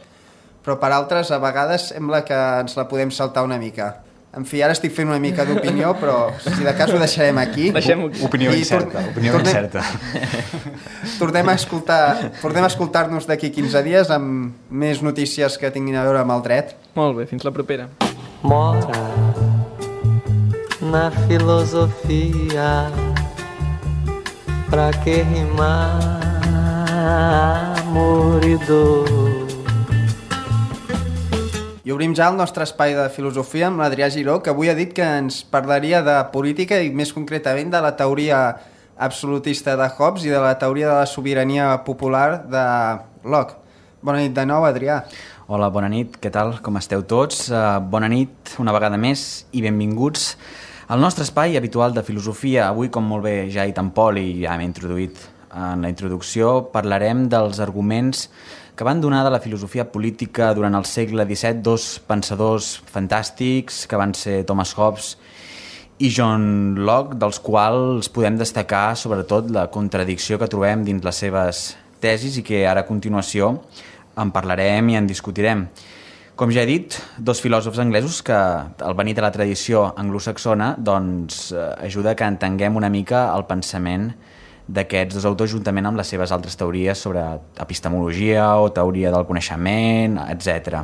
però per altres a vegades sembla que ens la podem saltar una mica. En fi, ara estic fent una mica d'opinió, però si de cas ho deixarem aquí. Opinió incerta. Tornem a escoltar-nos d'aquí 15 dies amb més notícies que tinguin a veure amb el dret. Molt bé, fins la propera. Mora na filosofia, pra que rimar amor e dor. I obrim ja el nostre espai de filosofia amb l'Adrià Giró, que avui ha dit que ens parlaria de política i més concretament de la teoria absolutista de Hobbes i de la teoria de la sobirania popular de Locke. Bona nit de nou, Adrià. Hola, bona nit, què tal? Com esteu tots? Bona nit una vegada més i benvinguts al nostre espai habitual de filosofia. Avui, com molt bé ja ha dit en Pol i ja m'he introduït en la introducció, parlarem dels arguments que van donar de la filosofia política durant el segle XVII dos pensadors fantàstics, que van ser Thomas Hobbes i John Locke, dels quals podem destacar sobretot la contradicció que trobem dins les seves tesis i que ara a continuació en parlarem i en discutirem. Com ja he dit, dos filòsofs anglesos que, al venir de la tradició anglosaxona, doncs ajuda que entenguem una mica el pensament d'aquests dos autors juntament amb les seves altres teories sobre epistemologia o teoria del coneixement, etc.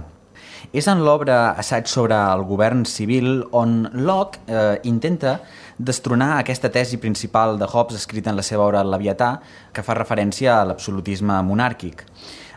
És en l'obra Assaig sobre el govern civil on Locke intenta destronar aquesta tesi principal de Hobbes escrita en la seva obra El Leviatà, que fa referència a l'absolutisme monàrquic.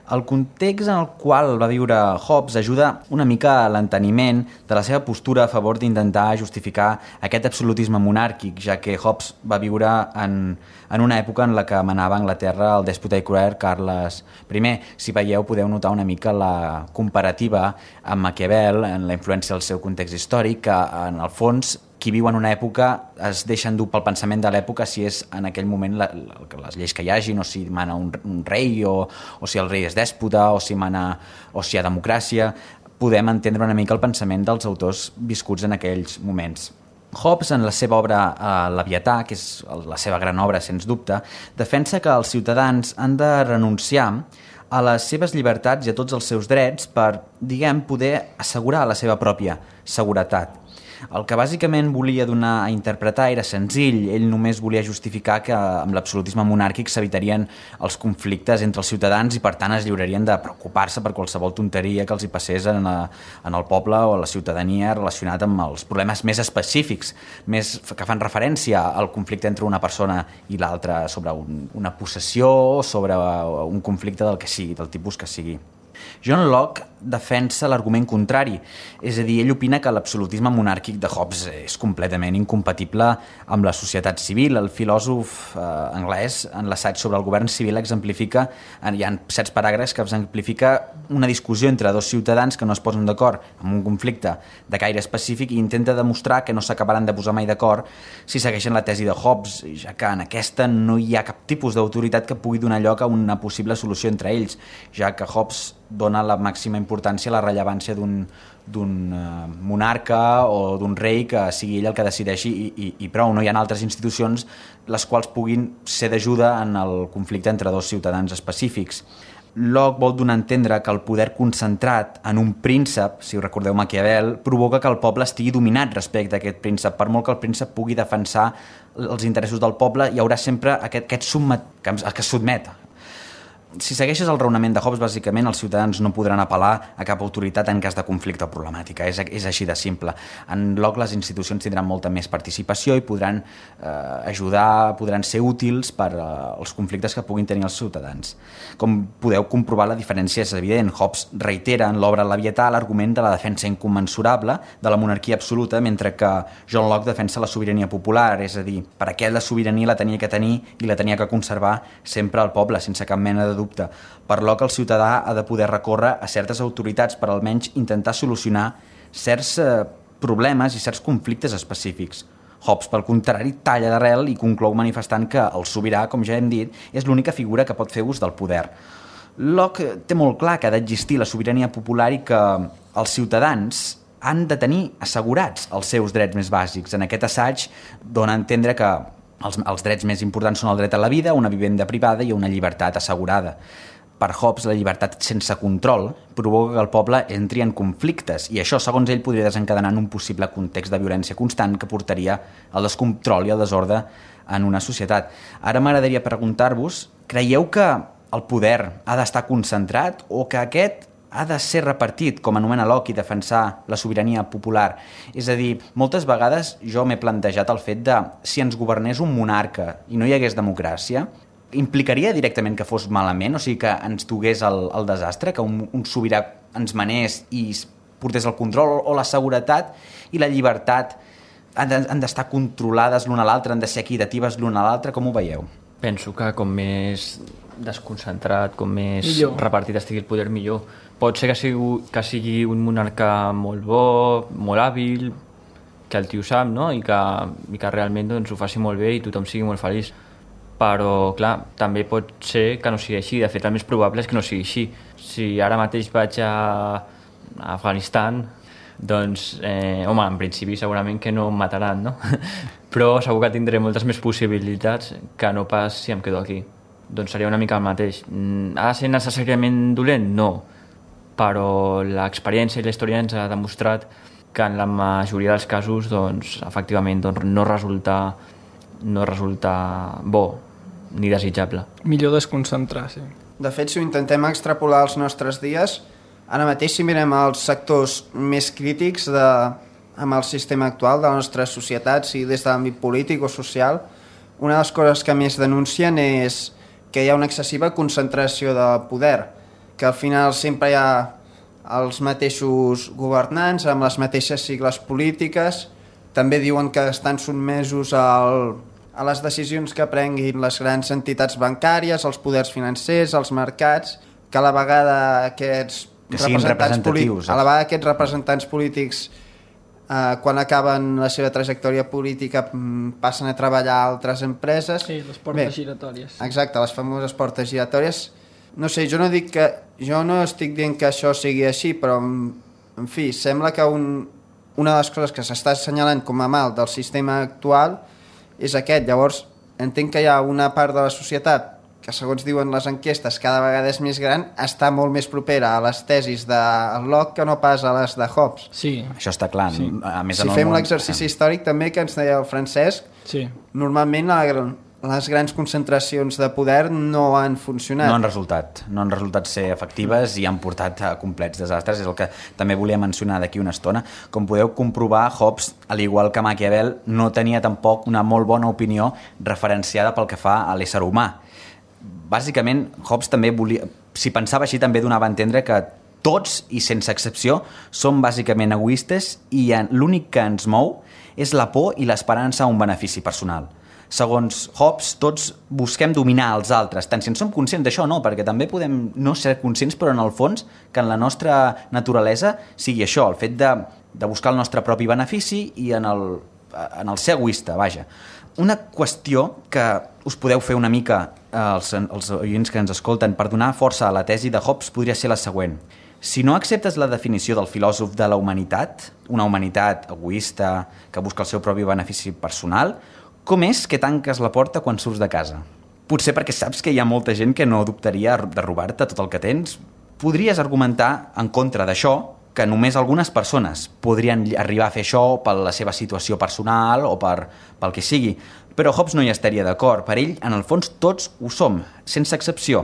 El context en el qual va viure Hobbes ajuda una mica a l'enteniment de la seva postura a favor d'intentar justificar aquest absolutisme monàrquic, ja que Hobbes va viure en una època en la que manava a Anglaterra el dèspota i cruel Carles I. Si veieu, podeu notar una mica la comparativa amb Maquiavel, en la influència del seu context històric, que en el fons qui viu en una època es deixa endur pel pensament de l'època si és en aquell moment les lleis que hi hagin, o si mana un rei, o si el rei és dèspota, o si hi ha democràcia. Podem entendre una mica el pensament dels autors viscuts en aquells moments. Hobbes, en la seva obra Leviatà, que és la seva gran obra, sens dubte, defensa que els ciutadans han de renunciar a les seves llibertats i a tots els seus drets per, poder assegurar la seva pròpia seguretat. El que bàsicament volia donar a interpretar era senzill. Ell només volia justificar que amb l'absolutisme monàrquic s'evitarien els conflictes entre els ciutadans i per tant es lliurarien de preocupar-se per qualsevol tonteria que els hi passés en el poble o a la ciutadania relacionat amb els problemes més específics, més que fan referència al conflicte entre una persona i l'altra, sobre una possessió o sobre un conflicte del que sigui, del tipus que sigui. John Locke defensa l'argument contrari, és a dir, ell opina que l'absolutisme monàrquic de Hobbes és completament incompatible amb la societat civil. El filòsof anglès, en l'assaig sobre el govern civil, exemplifica, hi ha certs paràgrafs que exemplifica una discussió entre dos ciutadans que no es posen d'acord en un conflicte de caire específic i intenta demostrar que no s'acabaran de posar mai d'acord si segueixen la tesi de Hobbes, ja que en aquesta no hi ha cap tipus d'autoritat que pugui donar lloc a una possible solució entre ells, ja que Hobbes dona la màxima importància a la rellevància d'un monarca o d'un rei que sigui ell el que decideixi i prou. No hi ha altres institucions les quals puguin ser d'ajuda en el conflicte entre dos ciutadans específics. Locke vol donar a entendre que el poder concentrat en un príncep, si us recordeu Maquiavel, provoca que el poble estigui dominat respecte a aquest príncep. Per molt que el príncep pugui defensar els interessos del poble, hi haurà sempre aquest que es sotmet. Si segueixes el raonament de Hobbes, bàsicament els ciutadans no podran apel·lar a cap autoritat en cas de conflicte o problemàtica. És així de simple. En Locke les institucions tindran molta més participació i podran ajudar, podran ser útils per als conflictes que puguin tenir els ciutadans. Com podeu comprovar, la diferència és evident. Hobbes reitera en l'obra Leviatà l'argument de la defensa incommensurable de la monarquia absoluta, mentre que John Locke defensa la sobirania popular, és a dir, per a què la sobirania la tenia que tenir i la tenia que conservar sempre el poble, sense cap mena de dubte. Per Locke, el ciutadà ha de poder recórrer a certes autoritats per almenys intentar solucionar certs problemes i certs conflictes específics. Hobbes, pel contrari, talla d'arrel i conclou manifestant que el sobirà, com ja hem dit, és l'única figura que pot fer ús del poder. Locke té molt clar que ha d'existir la sobirania popular i que els ciutadans han de tenir assegurats els seus drets més bàsics. En aquest assaig dona a entendre que els drets més importants són el dret a la vida, una vivenda privada i una llibertat assegurada. Per Hobbes, la llibertat sense control provoca que el poble entri en conflictes i això, segons ell, podria desencadenar en un possible context de violència constant que portaria al descontrol i al desordre en una societat. Ara m'agradaria preguntar-vos, creieu que el poder ha d'estar concentrat o que aquest ha de ser repartit, com anomena Locke, i defensar la sobirania popular? És a dir, moltes vegades jo m'he plantejat el fet de si ens governés un monarca i no hi hagués democràcia, implicaria directament que fos malament, o sigui que ens dugués el desastre, que un sobirà ens manés i portés el control o la seguretat i la llibertat han d'estar controlades l'una a l'altra, han de ser equitatives l'una a l'altra, com ho veieu? Penso que com més desconcentrat, com més repartit estigui el poder, millor. Pot ser que sigui un monarca molt bo, molt hàbil, que el tio sap, no? I que realment doncs, ho faci molt bé i tothom sigui molt feliç. però clar, també pot ser que no sigui així. De fet, el més probable és que no sigui així. Si ara mateix vaig a Afganistan, doncs, home, en principi segurament que no em mataran, no? Però segur que tindré moltes més possibilitats que no pas si em quedo aquí. Doncs seria una mica el mateix. Ha de ser necessàriament dolent? No. Però l'experiència i la història ens ha demostrat que en la majoria dels casos, doncs, efectivament, doncs, no resulta bo ni desitjable. Millor desconcentrar, sí. De fet, si ho intentem extrapolar als nostres dies, ara mateix si mirem els sectors més crítics amb el sistema actual de la nostra societat, sigui des de l'àmbit polític o social, una de les coses que més denuncien és que hi ha una excessiva concentració de poder, que al final sempre hi ha els mateixos governants amb les mateixes sigles polítiques. També diuen que estan sotmesos a les decisions que prenguin les grans entitats bancàries, els poders financers, els mercats, que a la vegada aquests representants polítics quan acaben la seva trajectòria política passen a treballar a altres empreses. Sí, les portes giratòries. Exacte, les famoses portes giratòries. No sé, jo no estic dient que això sigui així, però en fi, sembla que una de les coses que s'està assenyalant com a mal del sistema actual és aquest. Llavors, entenc que hi ha una part de la societat que, segons diuen les enquestes, cada vegada és més gran, està molt més propera a les tesis de Locke que no pas a les de Hobbes. Sí. Això està clar. Sí. A més, si fem l'exercici històric també que ens deia el Francesc, sí. Normalment les grans concentracions de poder no han funcionat. No han resultat ser efectives i han portat a complets desastres. És el que també volia mencionar d'aquí una estona. Com podeu comprovar, Hobbes, al igual que Maquiavel, no tenia tampoc una molt bona opinió referenciada pel que fa a l'ésser humà. Bàsicament, Hobbes també si pensava així, també donava a entendre que tots, i sense excepció, som bàsicament egoistes i l'únic que ens mou és la por i l'esperança a un benefici personal. Segons Hobbes, tots busquem dominar els altres, tant si en som conscients d'això o no, perquè també podem no ser conscients, però en el fons que en la nostra naturalesa sigui això, el fet de buscar el nostre propi benefici i en el ser egoista, vaja. Una qüestió que us podeu fer una mica els oients que ens escolten per donar força a la tesi de Hobbes podria ser la següent. Si no acceptes la definició del filòsof de la humanitat, una humanitat egoista que busca el seu propi benefici personal, com és que tanques la porta quan surts de casa? Potser perquè saps que hi ha molta gent que no dubtaria de robar-te tot el que tens. Podries argumentar en contra d'això que només algunes persones podrien arribar a fer això per la seva situació personal o pel que sigui. Però Hobbes no hi estaria d'acord. Per ell, en el fons, tots ho som, sense excepció.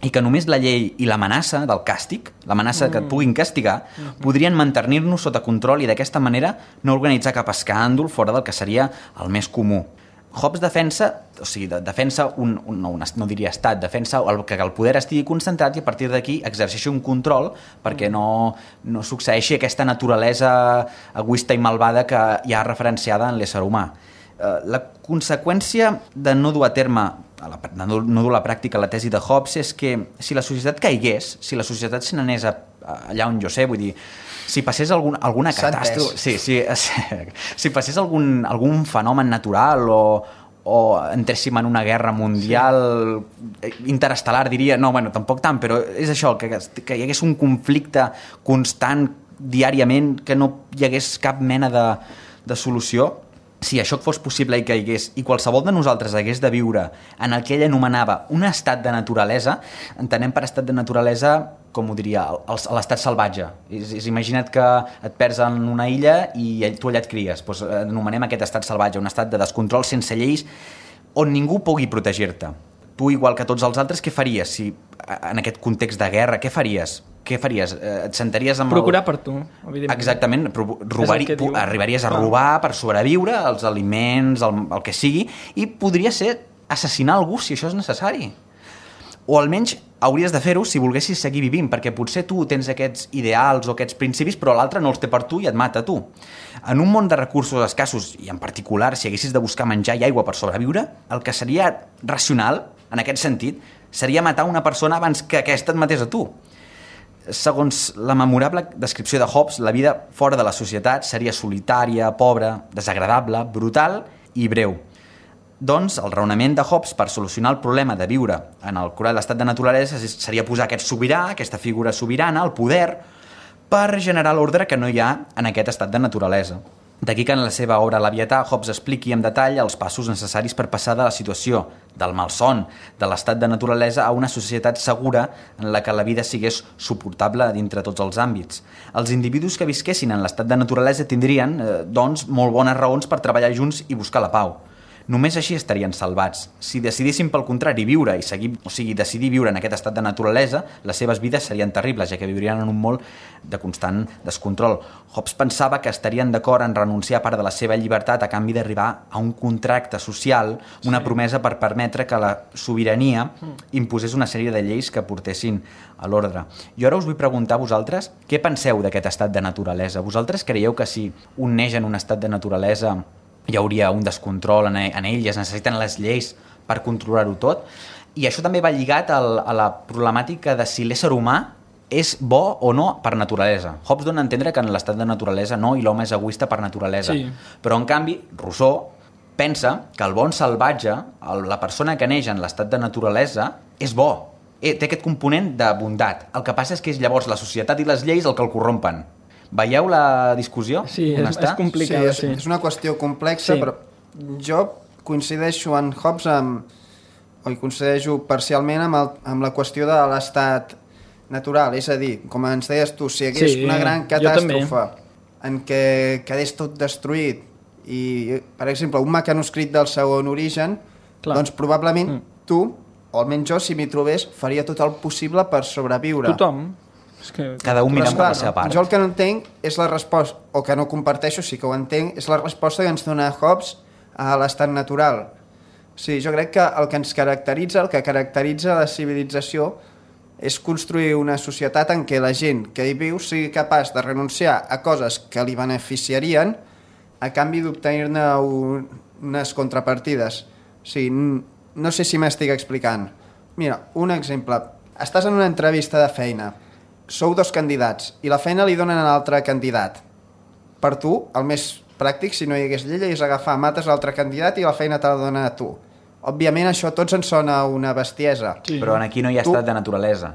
I que només la llei i l'amenaça del càstig, l'amenaça que et puguin castigar, podrien mantenir-nos sota control i d'aquesta manera no organitzar cap escàndol fora del que seria el més comú. Hobbes defensa no diria estat, defensa que el poder estigui concentrat i a partir d'aquí exerceixi un control perquè no succeeixi aquesta naturalesa egoista i malvada que hi ha referenciada en l'ésser humà. La conseqüència de no dur a terme, no dur a la pràctica la tesi de Hobbes és que si la societat caigués, si la societat se n'anés allà on jo sé, vull dir, si passés alguna catàstrofe, si passés algun fenomen natural o entréssim en una guerra mundial interestel·lar, diria, no, bueno, tampoc tant, però és això, que hi hagués un conflicte constant diàriament, que no hi hagués cap mena de solució. Si això fos possible i caigués, i qualsevol de nosaltres hagués de viure en el que ell anomenava un estat de naturalesa, entenem per estat de naturalesa, com ho diria, l'estat salvatge. Imagina't que et perds en una illa i tu allà et cries. Doncs anomenem aquest estat salvatge, un estat de descontrol sense lleis on ningú pugui protegir-te. Tu, igual que tots els altres, què faries si en aquest context de guerra? Què faries? Et sentaries amb procurar per tu, evidentment. Exactament, arribaries a robar per sobreviure, els aliments, el que sigui, i podria ser assassinar algú si això és necessari. O almenys hauries de fer-ho si volguessis seguir vivint, perquè potser tu tens aquests ideals o aquests principis, però l'altre no els té per tu i et mata a tu. En un món de recursos escassos, i en particular si haguessis de buscar menjar i aigua per sobreviure, el que seria racional, en aquest sentit, seria matar una persona abans que aquesta et matés a tu. Segons la memorable descripció de Hobbes, la vida fora de la societat seria solitària, pobra, desagradable, brutal i breu. Doncs el raonament de Hobbes per solucionar el problema de viure en el curat l'estat de naturalesa seria posar aquest sobirà, aquesta figura sobirana, el poder, per generar l'ordre que no hi ha en aquest estat de naturalesa. D'aquí que en la seva obra Leviatà Hobbes expliqui en detall els passos necessaris per passar de la situació del malson de l'estat de naturalesa a una societat segura en la que la vida sigués suportable dintre tots els àmbits. Els individus que visquessin en l'estat de naturalesa tindrien, doncs, molt bones raons per treballar junts i buscar la pau. Només així estarien salvats. Si decidissin pel contrari viure decidir viure en aquest estat de naturalesa, les seves vides serien terribles, ja que viurien en un món de constant descontrol. Hobbes pensava que estarien d'acord en renunciar a part de la seva llibertat a canvi d'arribar a un contracte social, una promesa per permetre que la sobirania imposés una sèrie de lleis que portessin a l'ordre. Jo ara us vull preguntar a vosaltres què penseu d'aquest estat de naturalesa. Vosaltres creieu que si un neix en un estat de naturalesa hi hauria un descontrol en ell, es necessiten les lleis per controlar-ho tot? I això també va lligat a la problemàtica de si l'ésser humà és bo o no per naturalesa. Hobbes dona a entendre que en l'estat de naturalesa no, i l'home és egoista per naturalesa. Sí. Però, en canvi, Rousseau pensa que el bon salvatge, la persona que neix en l'estat de naturalesa, és bo. Té aquest component de bondat. El que passa és que és llavors la societat i les lleis el que el corrompen. Veieu la discussió? Sí, és complicada. Sí, és una qüestió complexa, però jo coincideixo en Hobbes coincideixo parcialment amb la qüestió de l'estat natural. És a dir, com ens deies tu, si hi hagués una gran catàstrofe en què quedés tot destruït i, per exemple, un mecanoscrit del segon origen, doncs probablement tu, o almenys jo, si m'hi trobés, faria tot el possible per sobreviure. Tothom. Cada un mirant per la seva part. Jo el que no entenc és la resposta, o que no comparteixo, sí que ho entenc, és la resposta que ens dona Hobbes a l'estat natural. Sí, jo crec que el que ens caracteritza, el que caracteritza la civilització, és construir una societat en què la gent que hi viu sigui capaç de renunciar a coses que li beneficiarien a canvi d'obtenir-ne unes contrapartides. Sí, no sé si m'estic explicant. Mira, un exemple. Estàs en una entrevista de feina. Sou dos candidats i la feina li donen a l'altre candidat. Per tu, el més pràctic, si no hi hagués llei, és agafar, mates l'altre candidat i la feina te la dona a tu. Òbviament això a tots ens sona una bestiesa. Sí. Però aquí no hi ha estat de naturalesa.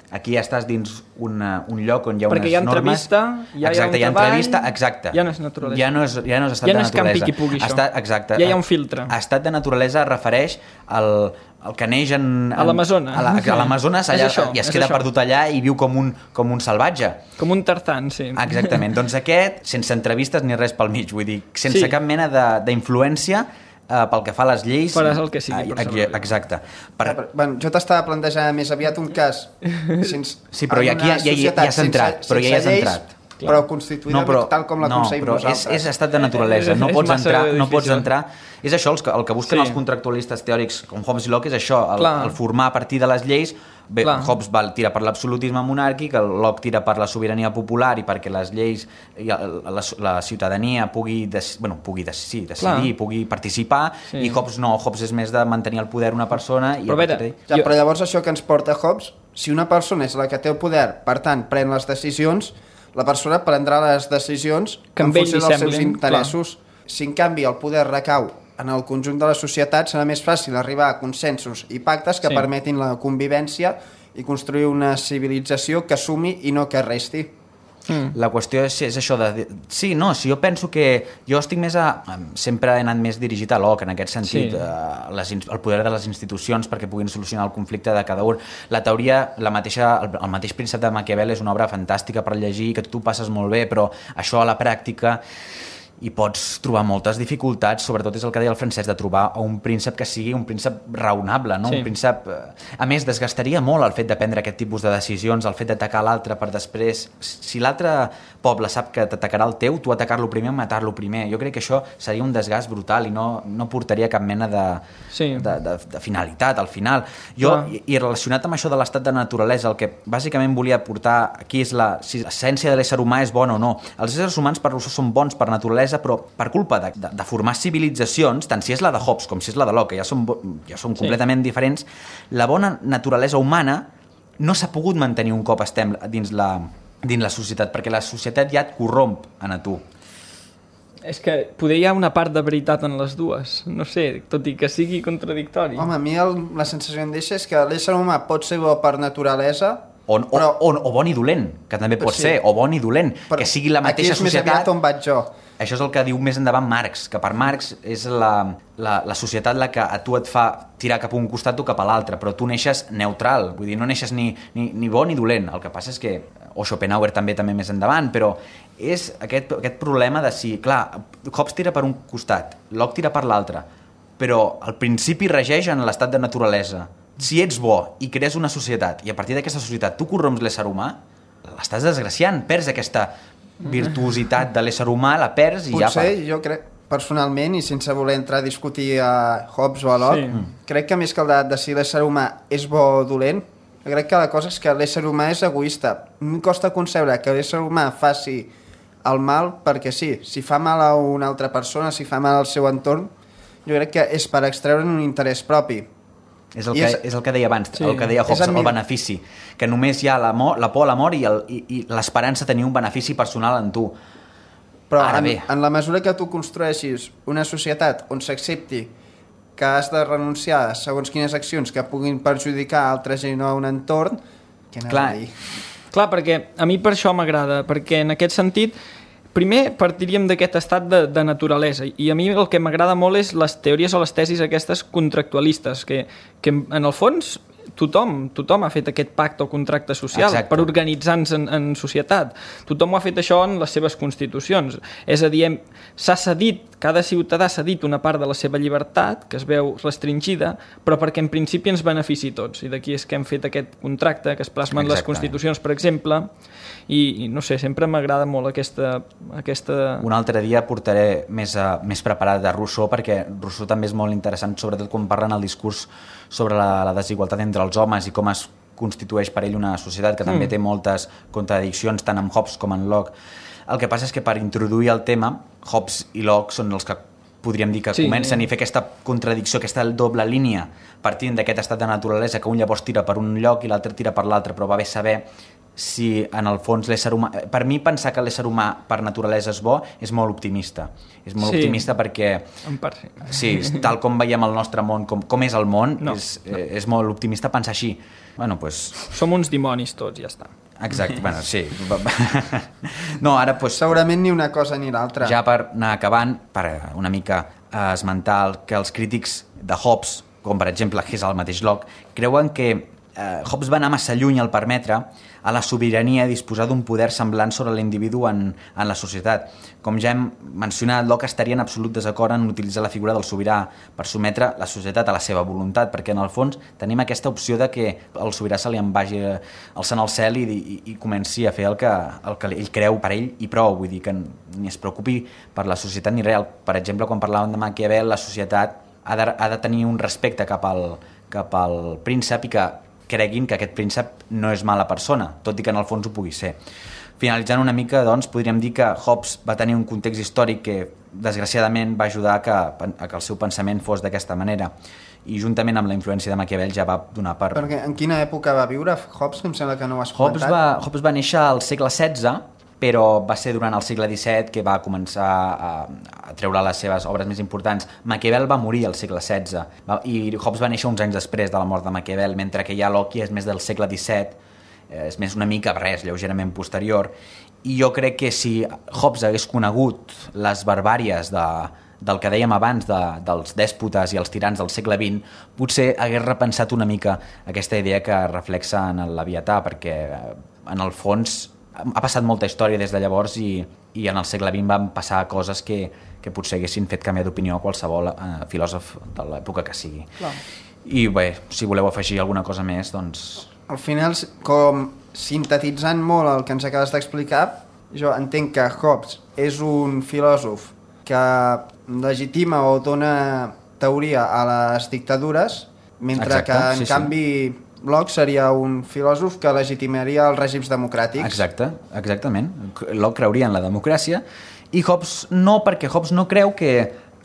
Aquí ja estàs dins un lloc on hi ha unes normes... Perquè hi ha entrevista, hi ha un treball... Exacte. Ja no és naturalesa. Ja no és estat de naturalesa. Ja no és campi qui pugui això. Exacte. Ja hi ha un filtre. Estat de naturalesa es refereix al que neix a l'Amazones. A l'Amazones i es queda perdut allà i viu com un salvatge. Com un Tarzan, sí. Exactament. Doncs aquest, sense entrevistes ni res pel mig, vull dir, sense cap mena d'influència pel que fa a les lleis... Faràs el que sigui per sobreviure. Exacte. Jo t'estava plantejant més aviat un cas sí, però aquí ja has entrat. Però ja has entrat. Però constituïda tal com la concebim nosaltres. És estat de naturalesa. No pots entrar... És això, el que busquen els contractualistes teòrics com Hobbes i Locke, és això, el formar a partir de les lleis. Bé, Hobbes tira per l'absolutisme monàrquic, Locke tira per la sobirania popular i perquè les lleis, la ciutadania pugui decidir, pugui participar, i Hobbes no, Hobbes és més de mantenir el poder una persona. Però llavors això que ens porta Hobbes, si una persona és la que té el poder, per tant, pren les decisions, la persona prendrà les decisions en funció dels seus interessos. Si en canvi el poder recau en el conjunt de la societat, serà més fàcil arribar a consensos i pactes que permetin la convivència i construir una civilització que sumi i no que resti. La qüestió és això de... Sí, no, si jo penso que... Jo estic més sempre he anat més dirigit a Locke, en aquest sentit, el poder de les institucions perquè puguin solucionar el conflicte de cada un. La teoria, el mateix príncep de Maquiavel és una obra fantàstica per llegir, que tu passes molt bé, però això a la pràctica hi pots trobar moltes dificultats, sobretot és el que deia el Francesc, de trobar un príncep que sigui un príncep raonable, no? Un príncep... A més, desgastaria molt el fet de prendre aquest tipus de decisions, el fet d'atacar l'altre per després... Si l'altre poble sap que t'atacarà el teu, tu atacar-lo primer o matar-lo primer. Jo crec que això seria un desgast brutal i no portaria cap mena de finalitat al final. I relacionat amb això de l'estat de naturalesa, el que bàsicament volia portar aquí és si l'essència de l'ésser humà és bona o no. Els éssers humans per Rousseau són bons per naturalesa, però per culpa de formar civilitzacions, tant si és la de Hobbes com si és la de Locke, que ja són completament diferents, la bona naturalesa humana no s'ha pogut mantenir un cop estem dins la societat, perquè la societat ja et corromp a tu. És que poder hi ha una part de veritat en les dues, no sé, tot i que sigui contradictori. Home, a mi la sensació que em deixa és que l'ésser humà pot ser bo per naturalesa, o bon i dolent, que també pot ser, o bon i dolent, que sigui la mateixa societat. Aquí és més aviat on vaig jo. Això és el que diu més endavant Marx, que per Marx és la societat la que a tu et fa tirar cap a un costat o cap a l'altre, però tu neixes neutral, vull dir, no neixes ni bo ni dolent. El que passa és que, o Schopenhauer també més endavant, però és aquest problema de si, clar, Hobbes tira per un costat, Locke tira per l'altre, però el principi regeix en l'estat de naturalesa. Si ets bo i crees una societat i a partir d'aquesta societat tu corromps l'ésser humà, l'estàs desgraciant, perds aquesta virtuositat de l'ésser humà, la perds i ja... Potser, jo crec, personalment, i sense voler entrar a discutir a Hobbes o a Locke, crec que més que el debat de si l'ésser humà és bo o dolent, crec que la cosa és que l'ésser humà és egoista. Em costa concebre que l'ésser humà faci el mal perquè sí. Si fa mal a una altra persona, si fa mal al seu entorn, jo crec que és per extreure'n un interès propi. És el que deia abans, el que deia Hobbes, el benefici, que només hi ha la por a la mort i l'esperança de tenir un benefici personal en tu. Però en la mesura que tu construeixis una societat on s'accepti que has de renunciar a segons quines accions que puguin perjudicar altra gent o un entorn, què anava a dir? Clar, perquè a mi per això m'agrada, perquè en aquest sentit primer partiríem d'aquest estat de naturalesa, i a mi el que m'agrada molt és les teories o les tesis aquestes contractualistes, que en el fons tothom ha fet aquest pacte o contracte social. Exacte. Per organitzar-nos en societat. Tothom ho ha fet això en les seves constitucions. És a dir, cada ciutadà s'ha dit una part de la seva llibertat, que es veu restringida, però perquè en principi ens benefici tots. I d'aquí és que hem fet aquest contracte que es plasma en les constitucions, per exemple, i no sé, sempre m'agrada molt aquesta... Un altre dia portaré més preparat de Rousseau, perquè Rousseau també és molt interessant, sobretot quan parla en el discurs sobre la desigualtat entre els homes i com es constitueix per ell una societat, que també té moltes contradiccions, tant amb Hobbes com en Locke. El que passa és que per introduir el tema, Hobbes i Locke són els que podríem dir que comencen i fer aquesta contradicció, aquesta doble línia, partint d'aquest estat de naturalesa que un llavors tira per un lloc i l'altre tira per l'altre, però va bé saber si en el fons l'ésser humà... Per mi pensar que l'ésser humà per naturalesa és bo és molt optimista. És molt optimista perquè... Sí, tal com veiem el nostre món, com és el món, és molt optimista pensar així. Bueno, pues... Som uns dimonis tots, ja està. Exacte, bueno, sí. No, ara, pues... Segurament ni una cosa ni l'altra. Ja per anar acabant, per una mica esmentar que els crítics de Hobbes, com per exemple és el mateix Locke, creuen que Hobbes va anar massa lluny al permetre a la sobirania disposar d'un poder semblant sobre l'individu en la societat. Com ja hem mencionat, Locke estaria en absolut desacord en utilitzar la figura del sobirà per sometre la societat a la seva voluntat, perquè en el fons tenim aquesta opció de que el sobirà se li en vagi alçant al cel i comenci a fer el que ell creu per ell i prou, vull dir que ni es preocupi per la societat ni res. Per exemple, quan parlàvem de Maquiavel, la societat ha de tenir un respecte cap al príncep i que creguin que aquest príncep no és mala persona, tot i que en el fons ho pugui ser. Finalitzant una mica, doncs, podríem dir que Hobbes va tenir un context històric que, desgraciadament, va ajudar a que el seu pensament fos d'aquesta manera. I juntament amb la influència de Maquiavel ja va donar per... Perquè en quina època va viure Hobbes? Em sembla que no ho has comentat. Hobbes va néixer al segle XVI, però va ser durant el segle XVII que va començar a treure les seves obres més importants. Maquiavel va morir al segle XVI i Hobbes va néixer uns anys després de la mort de Maquiavel, mentre que ja Locke és més del segle XVII, és més una mica res, lleugerament posterior. I jo crec que si Hobbes hagués conegut les barbàries del que dèiem abans dels dèspotes i els tirans del segle XX, potser hagués repensat una mica aquesta idea que reflexa en el Leviatà, perquè en el fons ha passat molta història des de llavors i en el segle XX van passar coses que potser haguessin fet canviar d'opinió a qualsevol filòsof de l'època que sigui. Clar. I bé, si voleu afegir alguna cosa més, doncs... Al final, com sintetitzant molt el que ens acabes d'explicar, jo entenc que Hobbes és un filòsof que legitima o dona teoria a les dictadures, mentre que en canvi Locke seria un filòsof que legitimaria els règims democràtics. Exactament. Locke creuria en la democràcia i Hobbes no, perquè Hobbes no creu que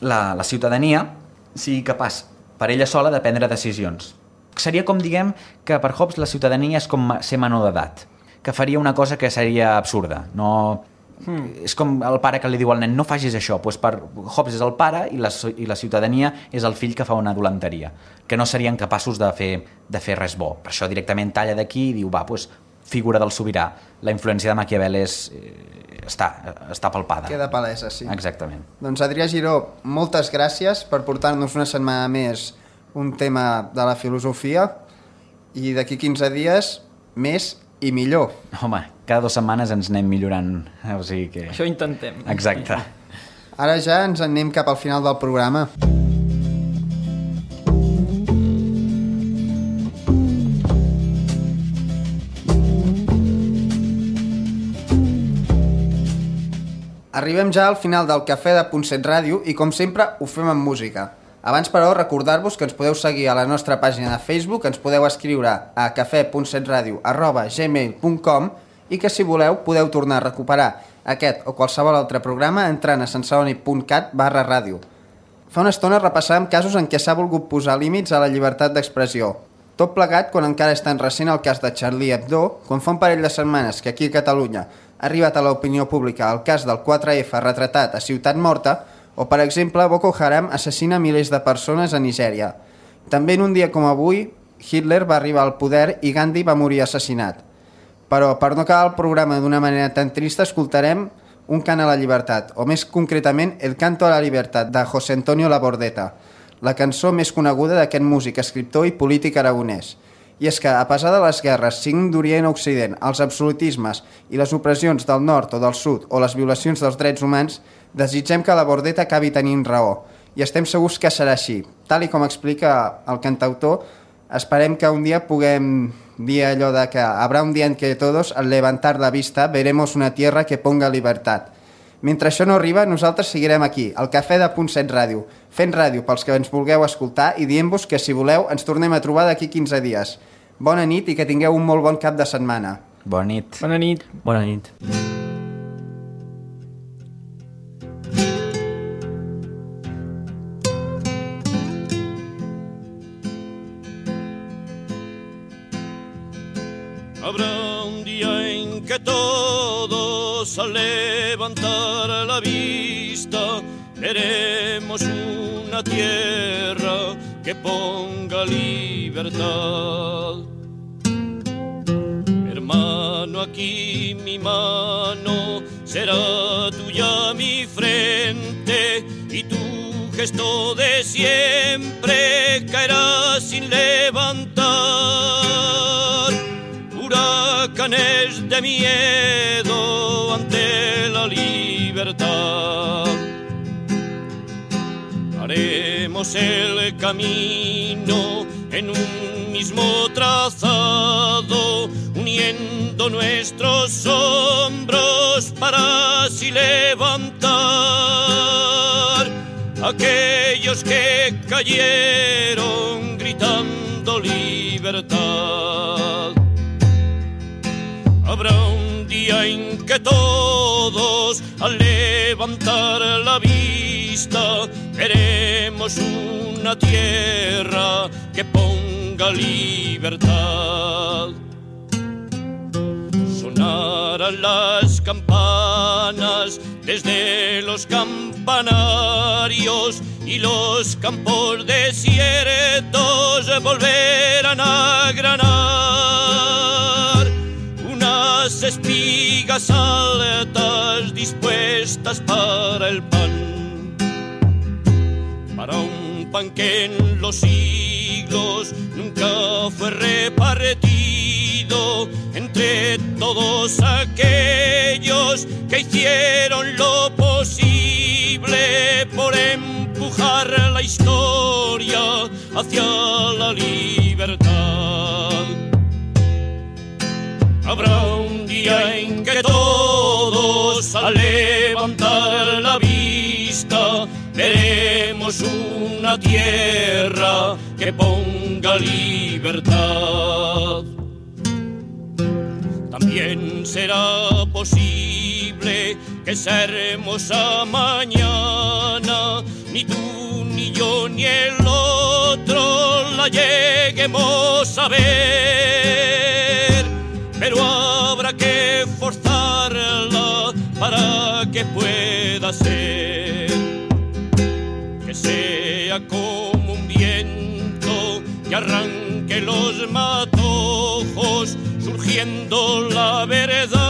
la ciutadania sigui capaç per ella sola de prendre decisions. Seria com, diguem, que per Hobbes la ciutadania és com ser menor d'edat, que faria una cosa que seria absurda. No És com el pare que li diu al nen no facis això, doncs per Hobbes és el pare i la ciutadania és el fill que fa una dolenteria, que no serien capaços de fer res bo. Per això directament talla d'aquí i diu doncs figura del sobirà. La influència de Maquiavel està palpada. Queda palesa, sí. Exactament. Doncs Adrià Giró, moltes gràcies per portar-nos una setmana més un tema de la filosofia i d'aquí 15 dies més i millor. Home, cada 2 setmanes ens anem millorant. O sigui que... Això intentem. Exacte. Ara ja ens anem cap al final del programa. Arribem ja al final del Cafè de Puntset Ràdio i, com sempre, ho fem amb música. Abans, però, recordar-vos que ens podeu seguir a la nostra pàgina de Facebook, ens podeu escriure a cafè.setradio@gmail.com i que, si voleu, podeu tornar a recuperar aquest o qualsevol altre programa entrant a sensoni.cat/ràdio. Fa una estona repassàvem casos en què s'ha volgut posar límits a la llibertat d'expressió. Tot plegat quan encara és tan recent el cas de Charlie Hebdo, quan fa un parell de setmanes que aquí a Catalunya ha arribat a l'opinió pública el cas del 4F retratat a Ciutat Morta, o, per exemple, Boko Haram assassina milers de persones a Nigèria. També en un dia com avui, Hitler va arribar al poder i Gandhi va morir assassinat. Però, per no acabar el programa d'una manera tan trista, escoltarem un cant a la llibertat, o més concretament, El canto a la libertad, de José Antonio Labordeta, la cançó més coneguda d'aquest músic, escriptor i polític aragonès. I és que, a pesar de les guerres, siguin d'Orient a Occident, els absolutismes i les opressions del nord o del sud o les violacions dels drets humans, desitgem que Labordeta acabi tenint raó. I estem segurs que serà així. Tal i com explica el cantautor, esperem que un dia puguem dir allò de que habrá un día en que todos, al levantar la vista, veremos una tierra que ponga libertad. Mentre això no arriba, nosaltres seguirem aquí, al Cafè de Puntset Ràdio, fent ràdio pels que ens vulgueu escoltar i dient-vos que, si voleu, ens tornem a trobar d'aquí 15 dies. Bona nit i que tingueu un molt bon cap de setmana. Bona nit. Bona nit. Bona nit. Habrá un día en que todos, al levantar la vista, veremos una tierra que ponga libertad. Hermano, aquí mi mano será tuya mi frente, y tu gesto de siempre caerá sin levantar huracanes de miedo ante la libertad. Haremos el camino en un mismo trazado, uniendo nuestros hombros para así levantar aquellos que cayeron gritando libertad. Habrá un día en que todos, al levantar la vista, veremos una tierra que ponga libertad. Sonarán las campanas desde los campanarios y los campos desiertos volverán a granar. Unas espigas altas dispuestas para el pan, para un pan que en los siglos nunca fue repartido entre todos aquellos que hicieron lo posible por empujar la historia hacia la libertad. Habrá un día en que todos, al levantar la vista, veremos una tierra que ponga libertad. También será posible que esa hermosa mañana ni tú, ni yo, ni el otro la lleguemos a ver, pero habrá que forzarla para pueda ser, que sea como un viento que arranque los matojos, surgiendo la verdad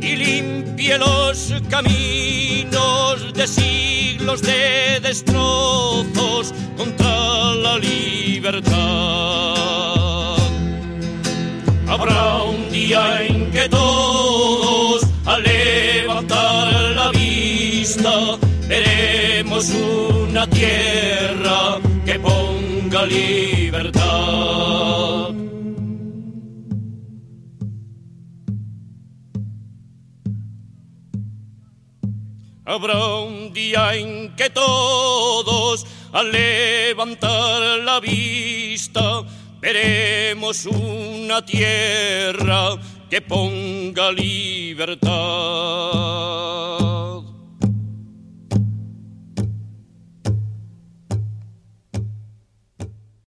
y limpie los caminos de siglos de destrozos contra la libertad. Habrá un día en que todos, al levantar la vista, veremos una tierra que ponga libertad. Habrá un día en que todos, al levantar la vista, veremos una tierra que ponga libertad.